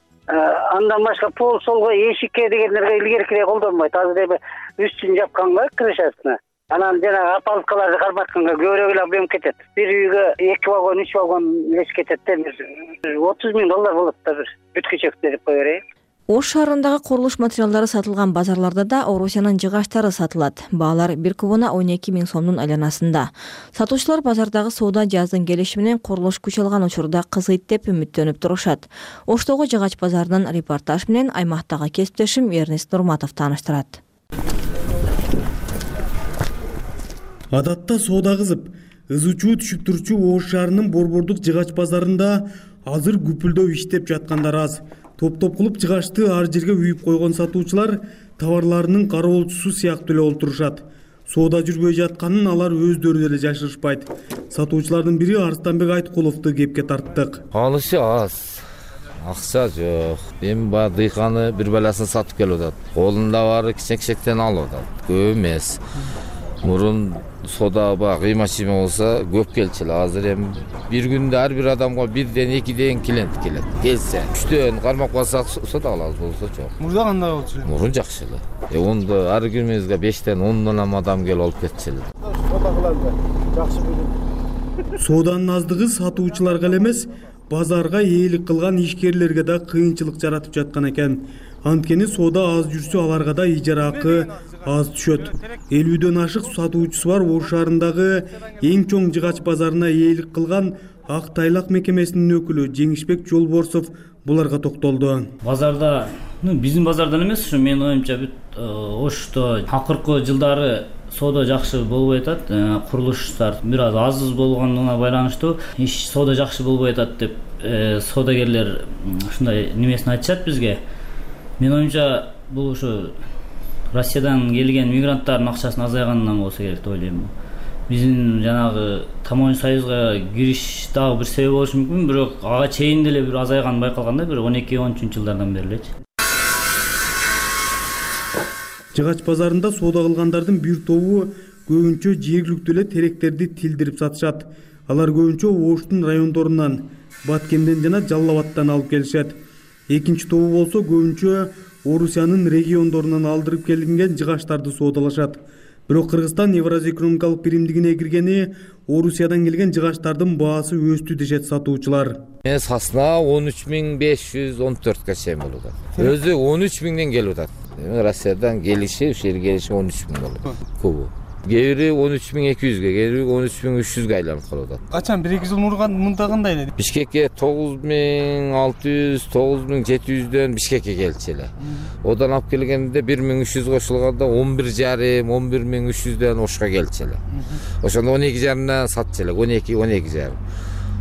Андан башка пол солго эшикке дегендерге илгеркирээк колдонбойт. Азыр эми үстүн жапканга крышасына. Анан жана апалкаларды карматканга көбүрөөк эле объем кетет. Бир үйгө эки вагон, үч вагон лес кетет да. отуз миң доллар болот да бир бүткүчөктө деп кое берейин. Ош шаарындагы курулуш материалдары сатылган базарларда да Орусиянын жыгачтары сатылат. Баалар бир кубуна он эки миң сомдун айланасында. Сатуучулар базардагы соода жаздын келиши менен курулуш күч алган учурда кызыйт деп үмүттөнүп турушат. Оштогу жыгач базарынын репортаж менен аймактагы кесиптешим Эрнест Нурматов тааныштырат. Адатта соода кызып, ызы-чуу түшүп турчу Ош шаарынын борбордук жыгач базарында азыр күпүлдөп иштеп жаткандар аз. Топ-топ кылып жыгачты ар жерге үйүп койгон сатуучулар товарларынын кароолчусу сыяктуу эле олтурушат. Соода жүрбөй жатканын алар өздөрү деле жашырышпайт. Сатуучулардын бири Арстанбек Айткуловду кепке тарттык. Алышы аз. Акча жок. Эми баягы дыйканы бир баласын сатып келип атат. Колунда баары кичек-кичектен алып атат. Көп эмес. Мурун соода баягы кыйма-чыйма болсо көп келчү эле. Азыр эми бир күндө ар бир адамга бирден экиден клиент келет. Келсе үчтөн кармап калсак сата алабыз, болсо жок. Мурда кандай болчу эле? Мурун жакшы эле. Э онда ар күнүбүзгө бештен ондон адам келип алып кетчү эле. Соода кылалы. Жакшы билим. Сооданын аздыгы сатуучуларга эле эмес, базарга ээлик кылган ишкерлерге да кыйынчылык жаратып жаткан экен. Анткени соода аз жүрсө аларга да ижара акы аз түшөт. элүүдөн ашык сатуучусу бар Ош шаарындагы эң чоң жыгач базарына ээлик кылган Ак Тайлак мекемесинин өкүлү Жеңишбек Жолборсов буларга токтолду. Базарда, ну биздин базардан эмес, ушу менин оюмча бүт Ошто акыркы жылдары соода жакшы болбой атат. Курулуштар бир аз аз болгондугуна байланыштуу иш соода жакшы болбой атат деп соодагерлер ушундай немесин айтышат бизге. Менин оюмча бул ушу Россиядан келген мигранттардын акчасынын азайганынан болсо керек деп ойлойм. Биздин жанагы Таможня союзга кириш дагы бир себеп болушу мүмкүн, бирок ага чейин деле бир азайган байкалганда бир он эки он үчүнчү жылдардан бери элечи. Жыгач базарында соода кылгандардын бир тобу көбүнчө жергиликтүү эле теректерди тилдирип сатышат. Алар көбүнчө Оштун райондорунан, Баткенден жана Жалал Абадтан алып келишет. Экинчи тобу болсо көбүнчө Орусиянын региондорунан алдырып келинген жыгачтарды соодалашат. Бирок Кыргызстан Евразия экономикалык биримдигине киргени Орусиядан келген жыгачтардын баасы өстү дешет сатуучулар. Мен сасына он үч миң беш жүз он төрткө чейин болуп атат. Өзү он үч миңден келип атат. Россиядан келиши, ушул жерге келиши он үч миң болот. Көбү. Кээ бири он үч миң эки жүзгө, кээ бири он үч миң үч жүзгө айланып калып атат. Качан бир эки жыл мурган мында кандай эле? Бишкекке тогуз миң алты жүз, тогуз миң жети жүздөн Бишкекке келчү эле. Одан алып келгенде бир миң үч жүз кошулганда он бир жарым, он бир миң үч жүздөн Ошко келчү эле. Ошондо он эки жарымдан сатчу эле, он эки, он эки жарым.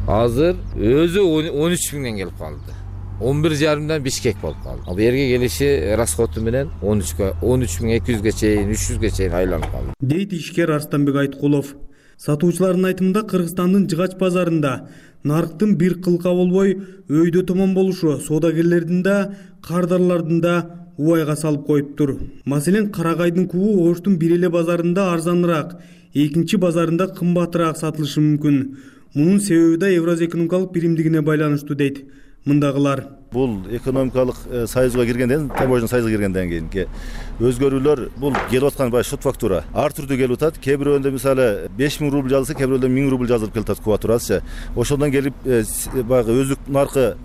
Азыр өзү он үч миңден келип калды. он бир жарымдан Бишкек болуп калды. Ал жерге келиши расходу менен он үчкө, он үч миң эки жүзгө чейин, үч жүзгө чейин айланып калды. Дейт ишкер Арстанбек Айткулов. Сатуучулардын айтымында Кыргызстандын жыгач базарында нарыктын бир кылка болбой өйдө томон болушу соодагерлердин да, кардарлардын да убайга салып коюптур. Маселен, карагайдын кубу Оштун бир эле базарында арзаныраак, экинчи базарында кымбатыраак сатылышы мүмкүн. Мунун себеби да Евразия экономикалык биримдигине байланыштуу дейт мындагылар. Бул экономикалык союзга киргенден, Таможня союзга киргенден кийинки өзгөрүүлөр бул келип аткан бай шот фактура ар түрдүү келип атат. Кээ бирөөндөй мисалы беш миң рубль жазылса, кээ бирөөндөй миң рубль жазылып келип атат кубатурасы. Ошондон келип баягы өздүк наркы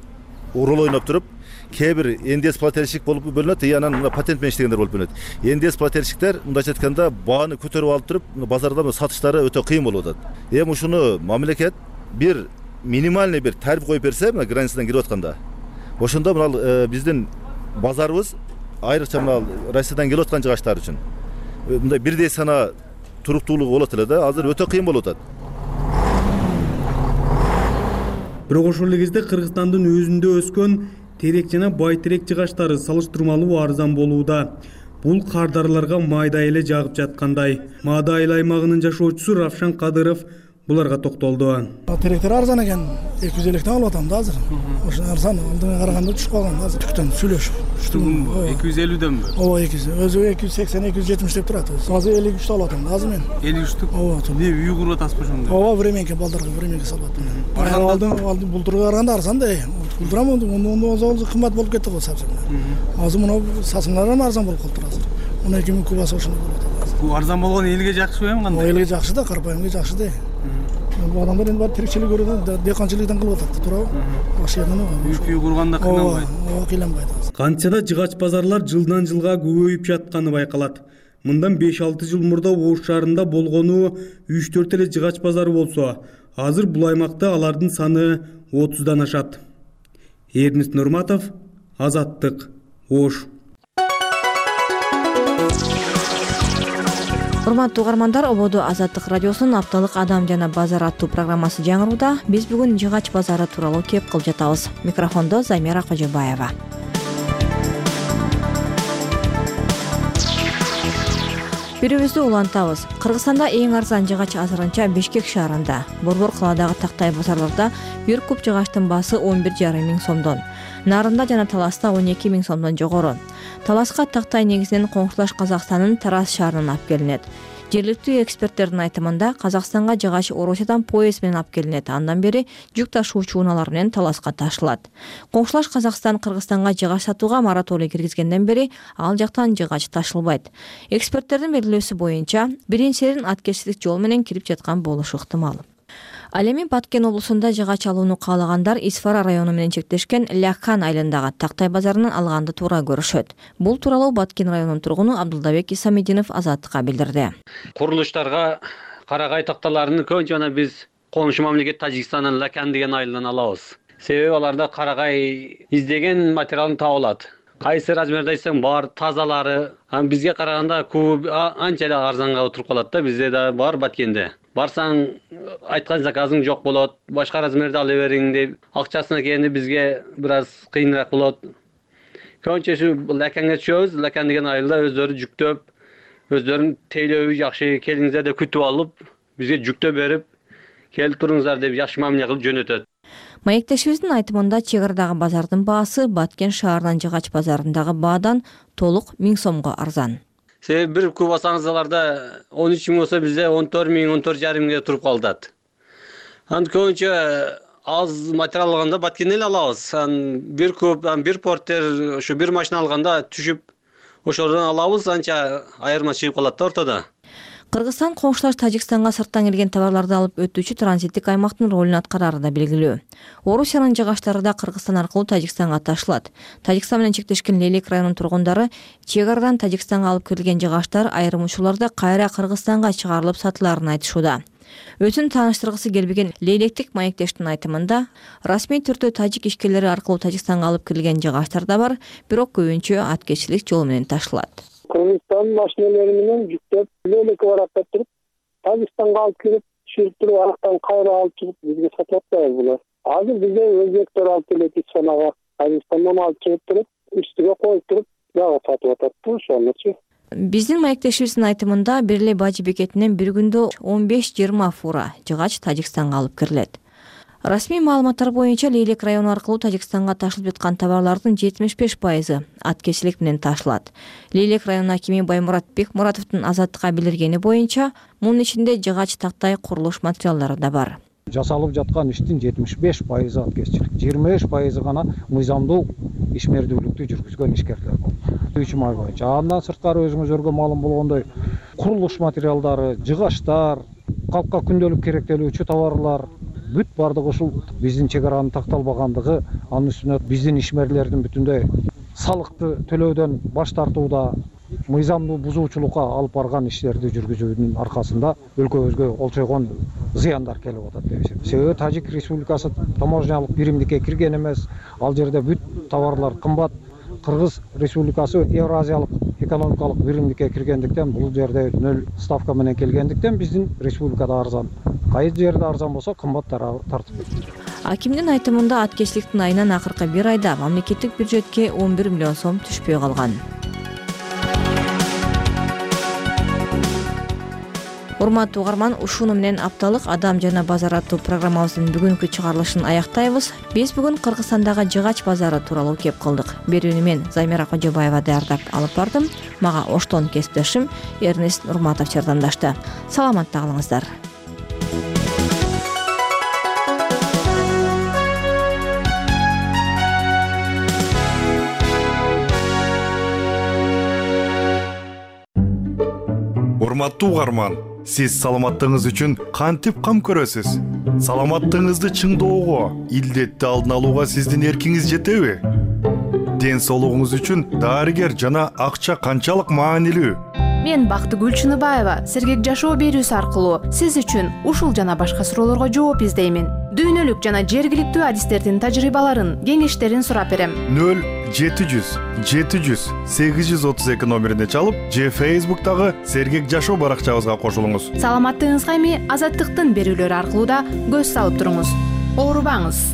урул ойноп туруп, кээ бир эн дэ эс плательщик болуп бөлүнөт, и анан мына патент менен иштегендер болуп бөлүнөт. эн дэ эс плательщиктер мындайча айтканда бааны көтөрүп алып туруп, базарда сатыштары өтө кыйын болуп атат. Эми ушуну мамлекет бир минимальный бир тариф коюп берсе, мына границадан кирип атканда, ошондо мына биздин базарыбыз айрыкча мына Россиядан келип аткан жыгачтар үчүн мындай бирдей сана туруктуулугу болот эле да. Азыр өтө кыйын болуп атат. Бирок ошол эле кезде Кыргызстандын өзүндө өскөн терек жана байтерек жыгачтары салыштырмалуу арзан болууда. Бул кардарларга майдай эле жагып жаткандай. Маада айыл аймагынын жашоочусу Равшан Кадыров буларга токтолду. Теректер арзан экен, эки жүз электен алып атам да азыр. Ошо арзан, алдыга караганда түшүп калган азыр. Түктөн сүйлөшүп. эки жүз элүүдөнбү? Ооба, эки жүз. Өзү эки жүз сексен, эки жүз жетимиш деп турат. Азыр элүү үчтү алып атам да азыр мен. элүү үчтү? Ооба. Не үй куруп атасызбы ошондо? Ооба, временке балдарга временке салып атам. Алдын алдын бултурга караганда арзан да. Бултурам онда кымбат болуп кетти го сабзы. Азыр мына сасыңлардан арзан болуп калды азыр. он эки миң кубасы ошондой болуп атат. Бул арзан болгону элге жакшыбы эми кандай? Элге жакшы да, карапайымга жакшы да. Бул адамдар эми баары тирикчилик көргөн, дыйканчылыктан кылып атат, туурабы? Ошондон үй курганда кыйналбайт. Ооба, кыйналбайт. Канча да жыгач базарлар жылдан жылга көбөйүп жатканы байкалат. Мындан беш алты жыл мурда Ош шаарында болгону үч төрт эле жыгач базары болсо, азыр бул аймакта алардын саны отуздан ашат. Эрнест Нурматов, Азаттык, Ош. урматтуу угармандар, ободо Азаттык радиосунун апталык Адам жана базар аттуу программасы жаңырууда. Биз бүгүн жыгач базары тууралуу кеп кылып жатабыз. Микрофондо Замира Кожобаева. Бирибизди улантабыз. Кыргызстанда эң арзан жыгач азырынча Бишкек шаарында. Борбор калаадагы тактай базарларда бир куб жыгачтын баасы он бир жарым миң сомдон, Нарында жана Таласта он эки миң сомдон жогору. Таласка тактай негизинен коңшулаш Казакстандын Тараз шаарынан алып келинет. Жергиликтүү эксперттердин айтымында Казакстанга жыгач Орусиядан поезд менен алып келинет. Андан бери жүк ташуучу унаалар менен Таласка ташылат. Коңшулаш Казакстан Кыргызстанга жыгач сатууга мораторий киргизгенден бери ал жактан жыгач ташылбайт. Эксперттердин белгилөөсү боюнча, биринчиден аткечтик жол менен кирип жаткан болушу ыктымал. Ал эми Баткен облусунда жыгач алууну каалагандар Исфара району менен чектешкен Ляхан айылындагы тактай базарынан алганды туура көрүшөт. Бул тууралуу Баткен районунун тургуну Абдулдабек Исамидинов Азаттыкка билдирди. Курулуштарга карагай такталарын көбүнчө жана биз коңшу мамлекет Тажикстандын Ляхан деген айылынан алабыз. Себеби аларда карагай издеген материалын таап алат. Кайсы размерде айтсаң бар, тазалары. Бизге караганда куб анча эле арзанга туруп калат да, бизде да бар Баткенде. Барсаң айткан заказың жок болот, башка размерде ала бериң деп, акчасына келгенде бизге бир аз кыйыныраак болот. Көбүнчөсү Ляханга түшөбүз. Ляхан деген айылда өздөрү жүктөп, өздөрүнүн тейлөөбү жакшы, келиңиздер деп күтүп алып, бизге жүктөп берип, келип туруңуздар деп жакшы мамиле кылып жөнөтөт. Маектешибиздин айтымында чек арадагы базардын баасы Баткен шаарынан жыгач базарындагы баадан толук миң сомго арзан. Себеби бир куб алсаңыз аларда он үч миң болсо бизде он төрт миң, он төрт жарым миңге туруп калат. Аны көбүнчө аз материал алганда Баткенден эле алабыз. Бир куб, бир портер, ушу бир машина алганда түшүп ошодон алабыз, анча айырма чыгып калат да ортодо. Кыргызстан коңшулаш Тажикстанга сырттан келген товарларды алып өтүүчү транзиттик аймактын ролун аткарары да белгилүү. Орусиянын жыгачлары да Кыргызстан аркылуу Тажикстанга ташылат. Тажикстан менен чектешкен Лейлек районунун тургундары чек арадан Тажикстанга алып кирилген жыгачлар айрым учурларда кайра Кыргызстанга чыгарылып сатыларын айтышууда. Өзүн тааныштыргысы келбеген Лейлектик маектештин айтымында, расмий түрдө тажик ишкерлери аркылуу Тажикстанга алып кирилген жыгачлар да бар, бирок көбүнчө аткечилик жол менен ташылат. Кыргызстан машиналары менен жүктөп, Лейлекке барып туруп, Тажикстанга алып кирип, түшүрүп туруп, арактан кайра алып чыгып, бизге сатып атпайбыз булар. Азыр бизде өзбектер алып келет Исфанага, Тажикстандан алып чыгып туруп, үстүгө коюп туруп, дагы сатып атат да, ошонучу. Биздин маектешибиздин айтымында бир эле Бажы бекетинен бир күндө он беш жыйырма фура жыгач Тажикстанга алып кирилет. Расмий маалыматтар боюнча Лейлек району аркылуу Тажикстанга ташылып жаткан товарлардын жетимиш беш пайызы аткечилик менен ташылат. Лейлек району акими Баймурат Бекмуратовдун Азаттыкка билдиргени боюнча, мунун ичинде жыгач, тактай, курулуш материалдары да бар. Жасалып жаткан иштин жетимиш беш пайызы аткечилик, жыйырма беш пайызы гана мыйзамдуу ишмердүүлүктү жүргүзгөн ишкерлер болду. үч ай боюнча. Андан сырткары өзүңүзөргө маалым болгондой, курулуш материалдары, жыгачтар, калкка күндөлүк керектелүүчү товарлар бүт бардыгы ушул биздин чек аранын такталбагандыгы, анын үстүнө биздин ишмерлердин бүтүндөй салыкты төлөөдөн баш тартууда, мыйзамдуу бузуучулукка алып барган иштерди жүргүзүүнүн аркасында өлкөбүзгө олчойгон зыяндар келип атат деп эсептейм. Себеби Тажик Республикасы таможнялык биримдикке кирген эмес, ал жерде бүт товарлар кымбат. Кыргыз Республикасы Евразиялык экономикалык биримдикке киргендиктен, бул жерде нөл ставка менен келгендиктен биздин республикада арзан. Кайсы жерде арзан болсо кымбат тартып кетет. Акимдин айтымында аткечиликтин айынан акыркы бир айда мамлекеттик бюджетке он бир миллион сом түшпөй калган. Урматтуу угарман, ушуну менен апталык Адам жана базар аттуу программабыздын бүгүнкү чыгарылышын аяктайбыз. Биз бүгүн Кыргызстандагы жыгач базары тууралуу кеп кылдык. Берүүнү мен Замира Кожобаева даярдап алып бардым. Мага оштон кесиптешим Эрнест Нурматов жардамдашты. Саламатта калыңыздар. Урматтуу угарман, сиз саламаттыгыңыз үчүн кантип кам көрөсүз? Саламаттыгыңызды чыңдоого, илдетти алдын алууга сиздин эркиңиз жетеби? Ден соолугуңуз үчүн дарыгер жана акча канчалык маанилүү? Мен Бактыгүл Чыныбаева сергек жашоо берүүсү аркылуу сиз үчүн ушул жана башка суроолорго жооп издеймин. Дүйнөлүк жана жергиликтүү адистердин тажрыйбаларын, кеңештерин сурап берем. нөл жети жүз жети жүз сегиз жүз отуз эки номерине чалып, же Facebook'тагы сергек жашоо баракчабызга кошулуңуз. Саламаттыгыңызга эми Азаттыктын берүүлөрү аркылуу да көз салып туруңуз. Оорубаңыз.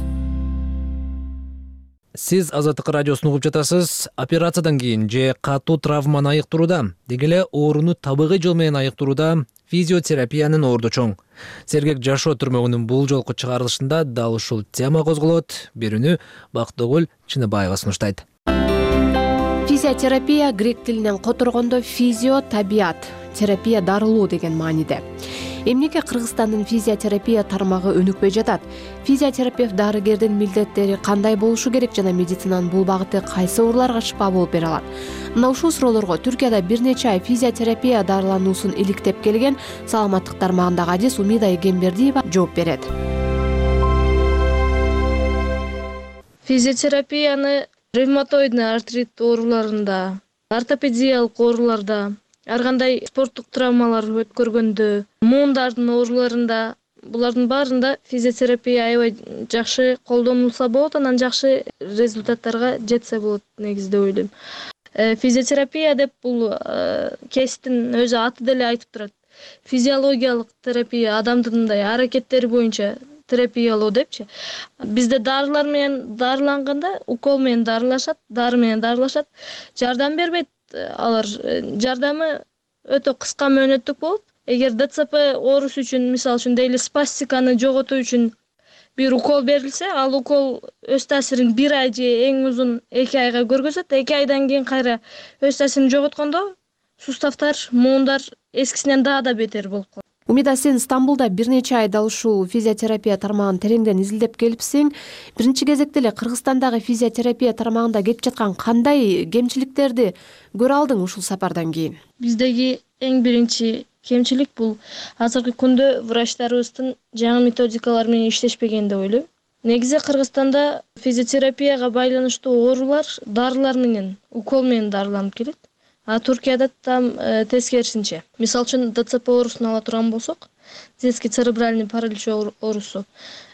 Сиз Азаттык радиосун угуп жатасыз. Операциядан кийин же катуу травманы айыктырууда, деги эле ооруну табигый жол менен айыктырууда физиотерапиянын орду чоң. Сергек жашоо түрмөгүнүн бул жолку чыгарылышында дал ушул тема козголот. Берүүнү Бактыгүл Чыныбаева сунуштайт. Физиотерапия грек тилинен которгондо физио табиат, терапия дарылоо деген мааниде. Эмнеге Кыргызстандын физиотерапия тармагы өнүкпөй жатат? Физиотерапевт дарыгердин милдеттери кандай болушу керек жана медицинанын бул багыты кайсы ооруларга шыпа болуп бере алат? Мына ушул суроолорго Түркияда бир нече ай физиотерапия дарылануусун иликтеп келген саламаттык тармагындагы адис Умида Эгембердиева жооп берет. Физиотерапияны ревматоидный артрит ооруларында, ортопедиялык ооруларда, ар кандай спорттук травмалар өткөргөндө, муундардын ооруларында, булардын баарында физиотерапия аябай жакшы колдонулса болот, анан жакшы результаттарга жетсе болот негизи деп ойлойм. Физиотерапия деп бул кесиптин өзү аты деле айтып турат. Физиологиялык терапия, адамдын мындай аракеттери боюнча терапиялоо депчи. Бизде дарылар менен дарыланганда, укол менен дарылашат, дары менен дарылашат, жардам бербейт. Алар жардамы өтө кыска мөөнөттүк болот. Эгер ДЦП оорусу үчүн, мисалы үчүн дейли спастиканы жоготуу үчүн бир укол берилсе, ал укол өз таасирин бир ай же эң узун эки айга көргөзөт. эки айдан кийин кайра өз таасирин жоготкондо суставтар, муундар эскисинен дагы да бетер болуп калат. Умида, сен Стамбулда бир нече айда ушул физиотерапия тармагын тереңден изилдеп келипсиң. Биринчи кезекте эле Кыргызстандагы физиотерапия тармагында кетип жаткан кандай кемчиликтерди көрө алдың ушул сапардан кийин? Биздеги эң биринчи кемчилик бул азыркы күндө врачтарыбыздын жаңы методикалар менен иштешпеген деп ойлойм. Негизи Кыргызстанда физиотерапияга байланыштуу оорулар дарылар менен, укол менен дарыланып келет. А Түркияда там тескерисинче. Мисалы үчүн ДЦП оорусун ала турган болсок, детский церебральный паралич оорусу.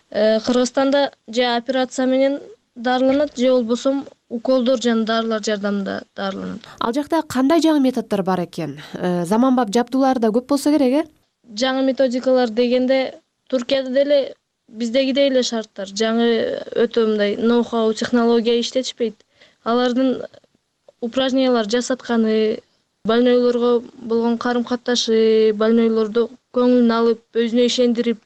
Кыргызстанда же операция менен дарыланат, же болбосо уколдор жана дарылар жардамында дарыланат. Ал жакта кандай жаңы методдор бар экен? Заманбап жабдуулар да көп болсо керек, э? Жаңы методикалар дегенде Түркияда деле биздегидей эле шарттар. Жаңы өтө мындай ноу-хау технология иштетишпейт. Алардын упражнениялар жасатканы, больнойлорго болгон карым-катташы, больнойлорду көңүлүн алып, өзүнө ишендирип,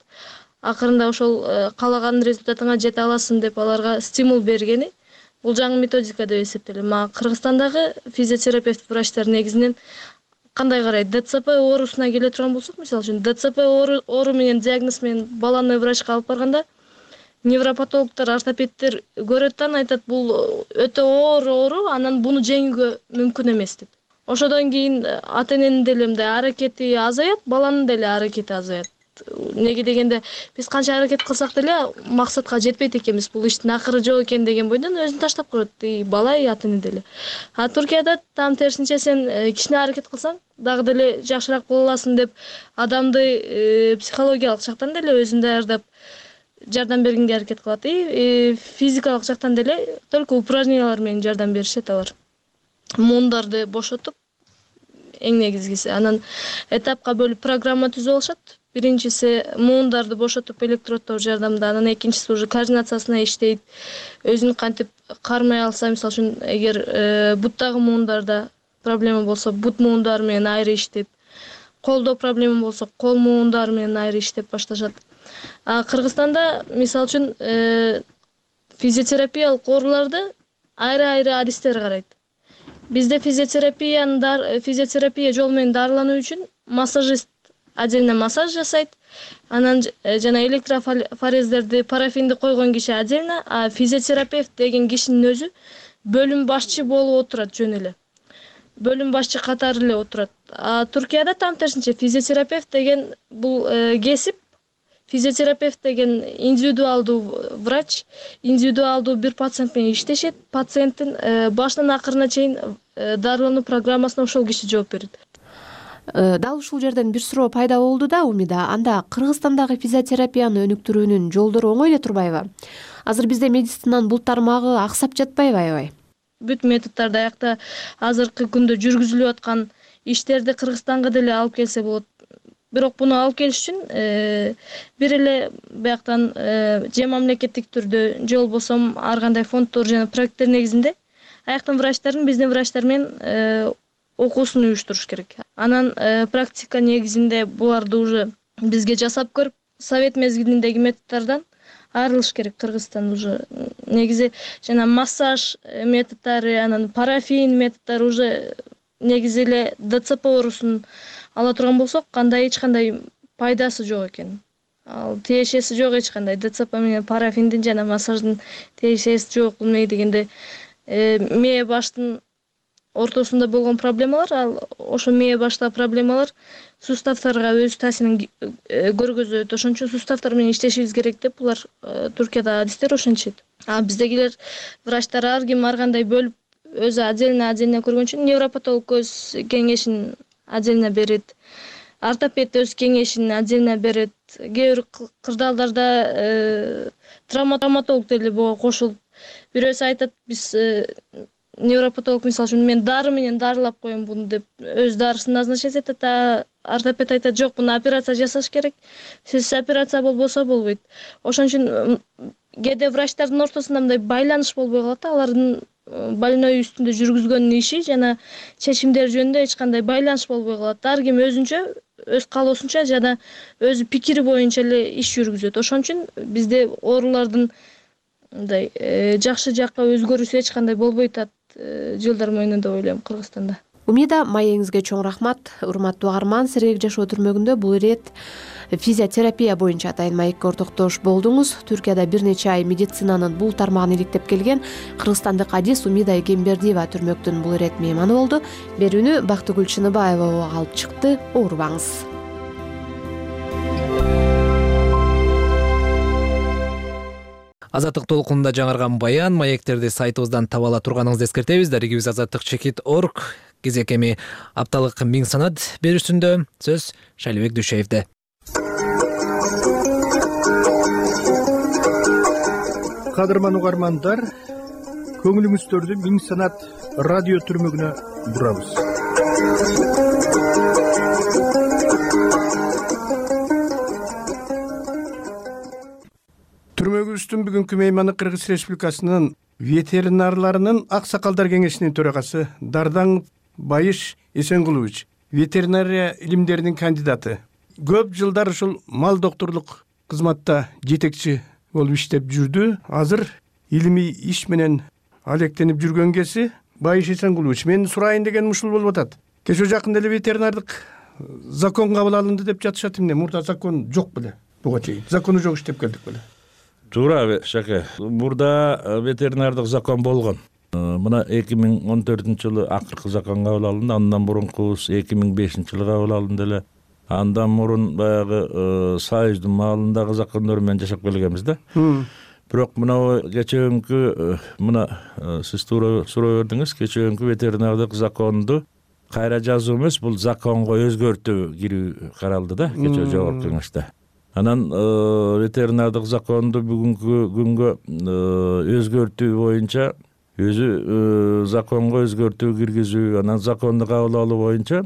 акырында ошол каалаган результатыңа жете аласың деп аларга стимул бергени бул жаңы методика деп эсептелем. Ма Кыргызстандагы физиотерапевт врачтар негизинен кандай карайт? ДЦП оорусуна келе турган болсок, мисалы үчүн ДЦП оору менен диагноз менен баланы врачка алып барганда невропатологдор, ортопедтер көрөт да, айтат, бул өтө оор оору, анан буну жеңүүгө мүмкүн эмес деп. Ошодон кийин ата-эненин деле мындай аракети азаят, баланын деле аракети азаят. Неге дегенде биз канча аракет кылсак деле максатка жетпейт экенбиз. Бул иштин акыры жок экен деген бойдон өзүн таштап коет, и бала, и ата-эне деле. А Түркияда там терсинче, сен кичине аракет кылсаң дагы деле жакшыраак боло аласың деп адамды психологиялык жактан деле өзүн даярдап жардам бергенге аракет кылат. И физикалык жактан деле только упражнениялар менен жардам беришет алар. Муундарды бошотуп, эң негизгиси. Анан этапка бөлүп программа түзүп алышат. Биринчиси муундарды бошотуп электроддор жардамында, анан экинчиси уже координациясына иштейт. Өзүн кантип кармай алса, мисалы үчүн эгер буттагы муундарда проблема болсо, бут муундары менен айры иштеп, колдо проблема болсо, кол муундары менен айры иштеп башташат. А Кыргызстанда мисалы үчүн физиотерапиялык ооруларды айры-айры адистер карайт. Бизде физиотерапиянын физиотерапия жол менен дарылануу үчүн массажист отдельно массаж жасайт. Анан жана электрофорездерди, парафинди койгон киши отдельно, а физиотерапевт деген кишинин өзү бөлүм башчы болуп отурат жөн эле. Бөлүм башчы катары эле отурат. А Түркияда там терсинче физиотерапевт деген бул кесип, физиотерапевт деген индивидуалдуу врач, индивидуалдуу бир пациент менен иштешет. Пациенттин башынан акырына чейин дарылануу программасына ошол киши жооп берет. Дал ушул жерден бир суроо пайда болду да Умида. Анда Кыргызстандагы физиотерапияны өнүктүрүүнүн жолдору оңой эле турбайбы? Азыр бизде медицинанын бул тармагы аксап жатпайбы аябай? Бүт методдорду аякта азыркы күндө жүргүзүлүп аткан иштерди Кыргызстанга деле алып келсе болот. Бирок буну алып келиш үчүн бир эле бияктан же мамлекеттик түрдө, же болбосо ар кандай фонддор жана проекттер негизинде аяктын врачтардын биздин врачтар менен окуусун уюштуруш керек. Анан практика негизинде буларды уже бизге жасап көрүп, совет мезгилиндеги методдордон айрылыш керек. Кыргызстан уже негизи жана массаж методдору, анан парафин методдору уже негизи эле ДЦП оорусун ала турган болсок, кандай эч кандай пайдасы жок экен. Ал тиешеси жок эч кандай. ДЦП менен парафиндин жана массаждын тиешеси жок. Эмне дегенде мээ баштын ортосунда болгон проблемалар, ал ошо мээ баштагы проблемалар суставтарга өз таасирин көргөзөт. Ошон үчүн суставтар менен иштешибиз керек деп булар Туркиядагы адистер ошентишет. А биздегилер врачтар ар ким ар кандай бөлүп өзү отдельно отдельно көргөн үчүн невропатолог өз кеңешин отдельно берет. Ортопед өз кеңешин отдельно берет. Кээ бир кырдаалдарда травматолог деле буга кошулуп, бирөөсү айтат, биз невропатолог мисалы үчүн мен дары менен дарылап коем буну деп өз дарысын назначать этет, а ортопед айтат, жок, буну операция жасаш керек. Сиз операция болбосо болбойт. Ошон үчүн кээде врачтардын ортосунда мындай байланыш болбой калат. Алардын больной үстүндө жүргүзгөн иши жана чечимдер жөнүндө эч кандай байланыш болбой калат. Ар ким өзүнчө, өз каалоосунча жана өзү пикири боюнча эле иш жүргүзөт. Ошон үчүн бизде оорулардын мындай жакшы жакка өзгөрүүсү эч кандай болбой атат жылдар моюнунда деп ойлойм Кыргызстанда. Умида, маегиңизге чоң рахмат. Урматтуу угарман, Сергек жашоо түрмөгүндө бул ирет физиотерапия боюнча атайын маекке ортоктош болдуңуз. Түркияда бир нече ай медицинанын бул тармагын иликтеп келген кыргызстандык адис Умида Эгембердиева түрмөктүн бул ирет мейманы болду. Берүүнү Бактыгүл Чыныбаева алып чыкты. Оорубаңыз. Азаттык толкунунда жаңырган баян маектерди сайтыбыздан таба ала турганыңызды эскертебиз. Дарегибиз азаттык чекит точка орг. Кезек эми апталык миң санат берүүсүндө сөз Шайлыбек Дүйшеевде. Кадырман угармандар, көңүлүңүздөрдү миң санат радио түрмөгүнө бурабыз. Түрмөгүбүздүн бүгүнкү мейманы Кыргыз Республикасынын ветеринарларынын аксакалдар кеңешинин төрагасы Дардан Байыш Эсенгулович, ветеринария илимдеринин кандидаты. Көп жылдар ушул мал докторлук кызматта жетекчи болуп иштеп жүрдү. Азыр илимий иш менен алектенип жүргөн кеси Байыш Эсенгулович, мен сурайын дегеним ушул болуп атат. Кечээ жакында эле ветеринардык закон кабыл алынды деп жатышат эмне? Мурда закон жок беле? Буга чейин закону жок иштеп келдик беле? Туура Шаке. Мурда ветеринардык закон болгон. Мына эки миң он төртүнчү жылы акыркы закон кабыл алынды. Андан мурункубуз эки миң бешинчи жылы кабыл алынды эле. Андан мурун баягы Союздун маалындагы закондор менен жашап келгенбиз да. Бирок мына кечээкү мына сиз туура суроо бердиңиз. Кечээкү ветеринардык законду кайра жазуу эмес, бул законго өзгөртүү кирүү каралды да кечээ жогорку кеңеште. Анан ветеринардык законду бүгүнкү күнгө өзгөртүү боюнча өзү законго өзгөртүү киргизүү, анан законду кабыл алуу боюнча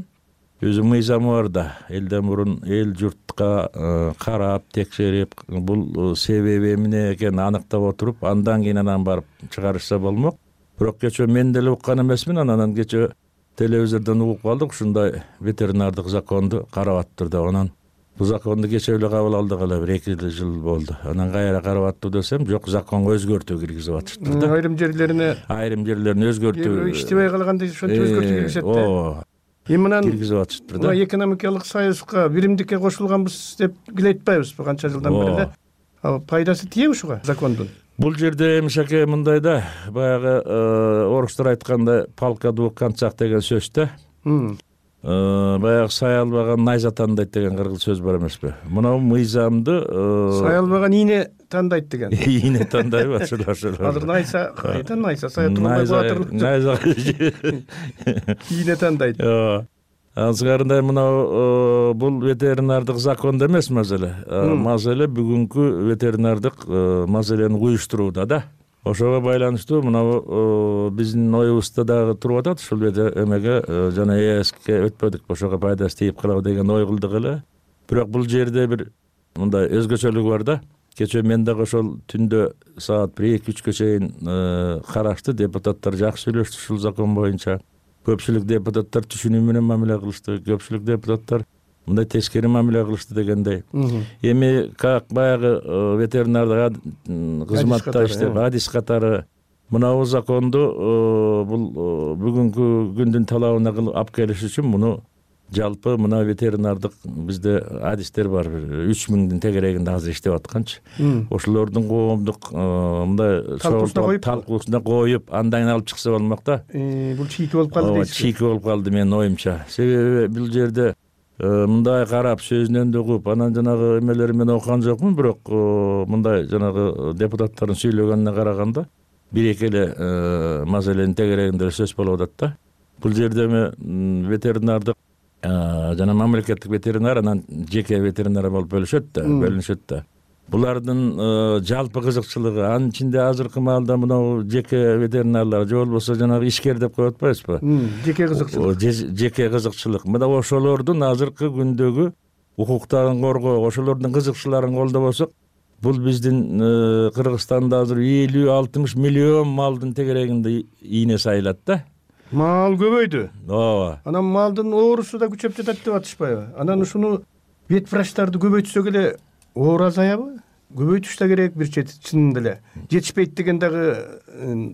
өзү мыйзамы бар да. Элден мурун эл журтка карап, текшерип, бул себеби эмне экенин аныктап отуруп, андан кийин анан барып чыгарышса болмок. Бирок кечээ мен деле уккан эмесмин, анан кечээ телевизордон угуп калдык, ушундай ветеринардык законду карап аттыр деп. Анан бул законду кечээ эле кабыл алдык эле, бир эки жыл болду. Анан кайра карап аттуу десем, жок, законго өзгөртүү киргизип атышты да. Айрым жерлерине айрым жерлерине өзгөртүү иштебей калганда ошентип өзгөртүү киргизет да. Ооба. Эми мынан киргизип атышты да. Экономикалык союзга, биримдикке кошулганбыз деп киле айтпайбызбы канча жылдан бери эле? Ал пайдасы тие ушуга закондун? Бул жерде эми Шаке мындай да, баягы орустар айткандай палка двух концах деген сөз да. Баягы сай албаган найза тандайт деген кыргыз сөз бар эмеспи? Мына мыйзамды сай албаган ийне тандайт деген. Ийне тандайбы? Азыр найза кайдан найза сая турган батыр. Найза ийне тандайт. азгарындай мынау бул ветеринардык закондо эмес маселе. Маселе бүгүнкү ветеринардык маселени уюштурууда да. Ошого байланыштуу мынау биздин оюбузда дагы туруп атат. Ушул эмеге жана эске өтпөдүк, ошого пайдасы тийип калабы деген ой кылдык эле. Бирок бул жерде бир мындай өзгөчөлүгү бар да. Кечээ мен дагы ошол түндө саат бир эки үчкө чейин карашты. Депутаттар жакшы сүйлөштү ушул закон боюнча. Көпчүлүк депутаттар түшүнүү менен мамиле кылышты. Көпчүлүк депутаттар мындай тескери мамиле кылышты дегендей. Эми как баягы ветеринардык кызматта иштеп адис катары мынабу законду бул бүгүнкү күндүн талабына алып келиш үчүн муну жалпы мына ветеринардык бизде адистер бар, үч миңдин тегерегинде азыр иштеп атканчы. Ошолордун коомдук мындай талкуусуна коюп, андан кийин алып чыкса болмок да. Бул чийки болуп калды дейсиз. Чийки болуп калды менин оюмча. Себеби бул жерде мындай карап, сөзүнөн да угуп, анан жанагы эмелери мен окуган жокмун, бирок мындай жанагы депутаттардын сүйлөгөнүнө караганда бир эки эле маселенин тегерегинде сөз болуп атат да. Бул жерде эми ветеринардык жана мамлекеттик ветеринар, анан жеке ветеринар болуп бөлүшөт да, бөлүнүшөт да. Булардын жалпы кызыкчылыгы, анын ичинде азыркы маалда мынау жеке ветеринарлар же болбосо жанагы ишкер деп коюп атпайбызбы? Жеке кызыкчылык. Жеке кызыкчылык. Мына ошолордун азыркы күндөгү укуктарын коргоо, ошолордун кызыкчылыктарын колдобосок, бул биздин Кыргызстанда азыр элүү алтымыш миллион малдын тегерегинде ийне сайылат да. Мал көбөйдү. Ооба. Анан малдын оорусу да күчөп жатат деп атышпайбы? Анан ушуну вет врачтарды көбөйтсөк эле оор азаябы? Көбөйтүш да керек бир чети, чынында эле. Жетишпейт деген дагы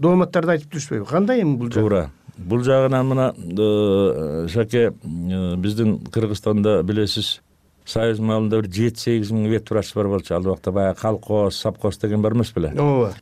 дооматтарды айтып жүрүшпөйбү? Кандай эми бул жагы? Туура. Бул жагынан мына Шаке, биздин Кыргызстанда билесиз, союз малында бир жети сегиз миң вет врач бар болчу. Ал убакта баягы колхоз, совхоз деген бар эмес беле? Ооба.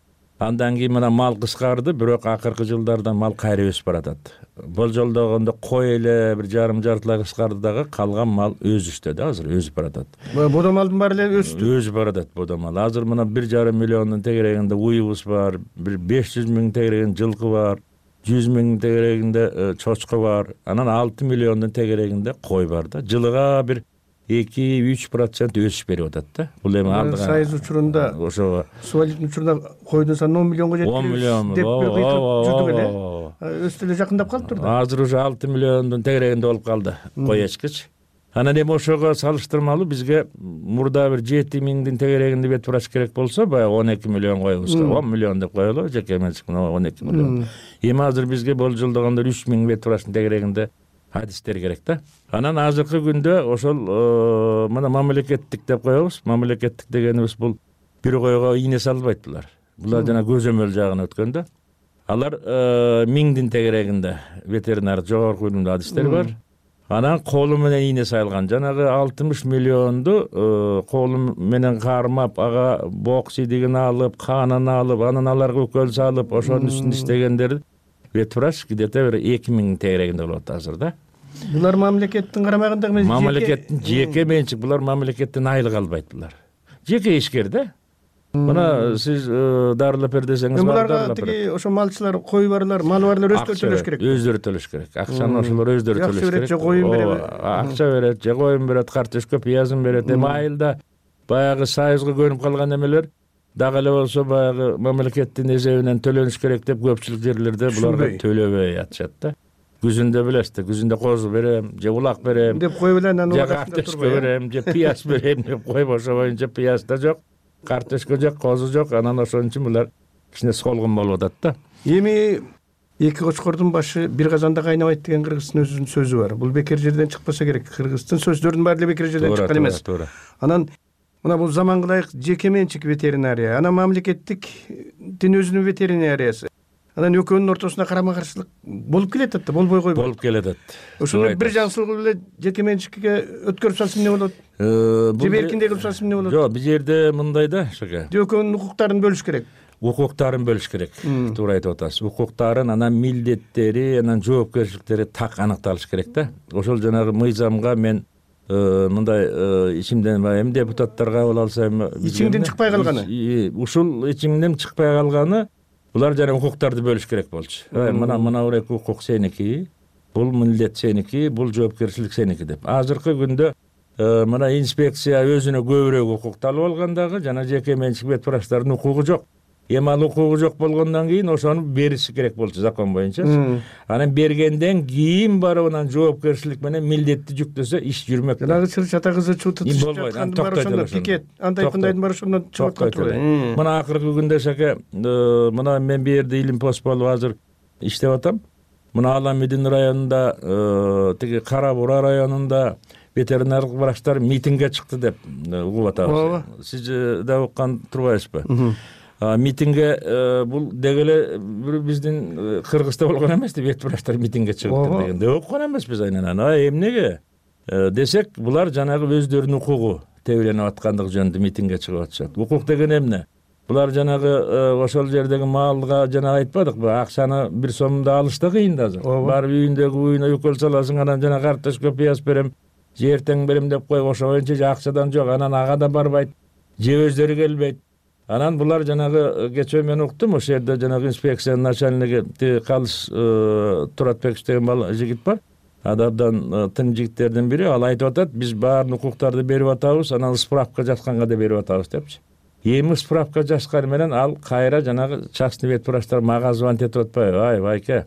Андан кийин мына мал кыскарды, бирок акыркы жылдарда мал кайра өсүп баратат. Болжолдогондо кой эле бир жарым жартылай кыскарды дагы, калган мал өсүштө да, азыр өсүп баратат. Бодо малдын баары эле өстү. Өсүп баратат бодо мал. Азыр мына бир жарым миллиондун тегерегинде уюбуз бар, бир беш жүз миң тегерегинде жылкы бар, жүз миң тегерегинде чочко бар, анан алты миллиондун тегерегинде кой бар да. Жылыга бир эки үч процент өсүш берип атат да. Бул эми алдыга сайыз учурунда ошого суалиттин учурунда койдун саны он миллионго жетти. он миллион деп жүрдүк эле. Өстү эле жакындап калыптыр да. Азыр уже алты миллиондун тегерегинде болуп калды кой эчкич. Анан эми ошого салыштырмалуу бизге мурда бир жети миңдин тегерегинде вет врач керек болсо, баягы он эки миллион коебузга, он миллион деп коелу, жеке менчик он эки миллион. Эми азыр бизге болжолдогондо үч миң вет врачтын тегерегинде адистер керек да. Анан азыркы күндө ошол мына мамлекеттик деп коебуз. Мамлекеттик дегенибиз бул бир койго ийне салбайт булар. Булар жана көзөмөл жагына өткөн да. Алар миңдин тегерегинде ветеринар жогорку билимдүү адистер бар. Анан колу менен ийне сайылган. Жанагы алтымыш миллионду колу менен кармап, ага бок сидигин алып, канын алып, анан аларга укол салып, ошонун үстүндө иштегендер вет врач где-то бир эки миң тегерегинде болот азыр да. Булар мамлекеттин карамагында эмес, мамлекеттин жеке менчик, булар мамлекеттен айлык албайт булар. Жеке ишкер да. Мына сиз дарылап бер десеңиз, буларга тиги ошо малчылар, кой барлар, мал барлар өздөрү төлөш керек. Өздөрү төлөш керек. Акчаны ошолор өздөрү төлөш керек. Акча берет, же коюн берет. Акча берет, же коюн берет, картошка, пиязын берет. Эми айылда баягы союзга көнүп калган эмелер дагы эле болсо баягы мамлекеттин эсебинен төлөнүш керек деп көпчүлүк жерлерде буларга төлөбөй атышат да. Күзүндө билесиз, күзүндө козу берем, же улак берем деп коюп эле, анан же картошка берем, же пияз берем деп коюп, ошо боюнча пияз да жок, картошка жок, козу жок, анан ошон үчүн булар кичине солгун болуп атат да. Эми эки кочкордун башы бир казанда кайнабайт деген кыргыздын өзүнүн сөзү бар. Бул бекер жерден чыкпаса керек. Кыргыздын сөздөрүнүн баары эле бекер жерден чыккан эмес. Анан мына бул заманга ылайык жеке менчик ветеринария, анан мамлекеттиктин өзүнүн ветеринариясы. Анан экөөнүн ортосунда карама каршылык болуп келатат да, болбой койбойт. Болуп келатат. Ошону бир жакшылыгы эле жеке менчикке өткөрүп салса эмне болот? Же эркиндей кылып салса эмне болот? Жок, бул жерде мындай да, Шаке. Экөөнүн укуктарын бөлүш керек. Укуктарын бөлүш керек. Туура айтып атасыз. Укуктарын, анан милдеттери, анан жоопкерчиликтери так аныкталыш керек да. Ошол жанагы мыйзамга мен мындай ичимден эми депутаттарга кабыл алса эми ичиңден чыкпай калганы. Ушул ичиңден чыкпай калганы булар жана укуктарды бөлүш керек болчу. Мына мына бир эки укук сеники, бул милдет сеники, бул жоопкерчилик сеники деп. Азыркы күндө мына инспекция өзүнө көбүрөөк укукту алып алган дагы жана жеке менчик бет врачтардын укугу жок. Эми ал укугу жок болгондон кийин ошону бериши керек болчу закон боюнча. Анан бергенден кийин барып анан жоопкерчилик менен милдетти жүктөсө иш жүрмөк. Дагы чата кызы чутутуп жатканды бар ошондо пикет, андай кындайдын бар ошондон чыгып турбайбы? Мына акыркы күндө шаке, мына мен бу жерде илим пост болуп азыр иштеп атам. Мына Аламидин районунда, тиги Кара Бура районунда ветеринардык врачтар митингге чыкты деп угуп атабыз. Сиз да уккан турбайсызбы? Митингге бул деги эле биздин Кыргызда болгон эмес деп вет врачтар митингге чыгыптыр дегенде уккан эмеспиз айнан. А эмнеге десек, булар жанагы өздөрүнүн укугу тебеленип аткандыгы жөнүндө митингге чыгып атышат. Укук деген эмне? Булар жанагы ошол жердеги маалга жана айтпадыкпы, акчаны бир сомдо алыш да кыйын да азыр. Барып үйүндөгү уюна өкөл саласың, анан жана карточка пияз берем, же эртең берем деп коюп, ошо боюнча же акчадан жок, анан ага да барбайт, же өздөрү келбейт. Анан булар жанагы кечээ мен уктум, ошол жерде жанагы инспекциянын начальниги Калыш Туратбекович деген жигит бар. Адабдан тың жигиттердин бири, ал айтып атат, биз баарын укуктарды берип атабыз, анан справка жазганга да берип атабыз депчи. Эми справка жазган менен ал кайра жанагы частный вет врачтар мага звонить этип атпайбы? Ай, байке,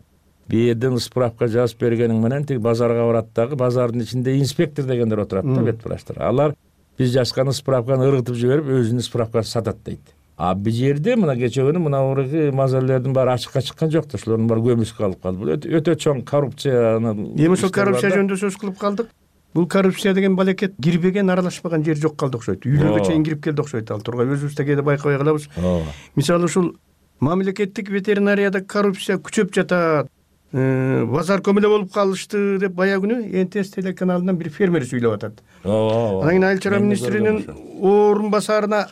бу жерден справка жазып бергениң менен тиги базарга барат дагы, базардын ичинде инспектор дегендер отурат да вет врачтар. Алар биз жазган справканы ыргытып жиберип, өзүнүн справкасын сатат дейт. А бу жерде мына кечээ күнү мына урыгы мазалелердин баары ачыкка чыккан жок да, ошолордун баары көмүскө алып калды. Бул өтө чоң коррупцияны. Эми ошол коррупция жөнүндө сөз кылып калдык. Бул коррупция деген балекет кирбеген, аралашпаган жер жок калды окшойт. Үйлөргө чейин кирип келди окшойт ал тургай. Өзүбүздө кээде байкабай калабыз. Мисалы ушул мамлекеттик ветеринарияда коррупция күчөп жатат. Базар көмөлө болуп калышты деп бая күнү эн тэ эс телеканалынан бир фермер сүйлөп атат. Анан кийин айыл чарба министринин орун басарына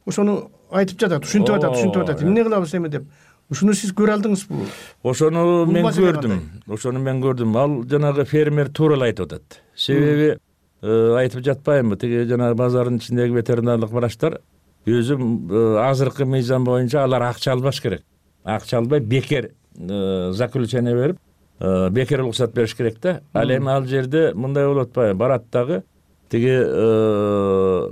ошону айтып жатат, ушинтип атат, ушинтип атат. Эмне кылабыз эми деп. Ушуну сиз көрө алдыңызбы? Ошону мен көрдүм. Ошону мен көрдүм. Ал жанагы фермер туура эле айтып атат. Себеби айтып жатпаймынбы, тиги жанагы базардын ичиндеги ветеринарлык врачтар өзү азыркы мыйзам боюнча алар акча албаш керек. Акча албай бекер заключение берип, бекер уруксат бериш керек да. Ал эми ал жерде мындай болуп атпайбы? Барат дагы тиги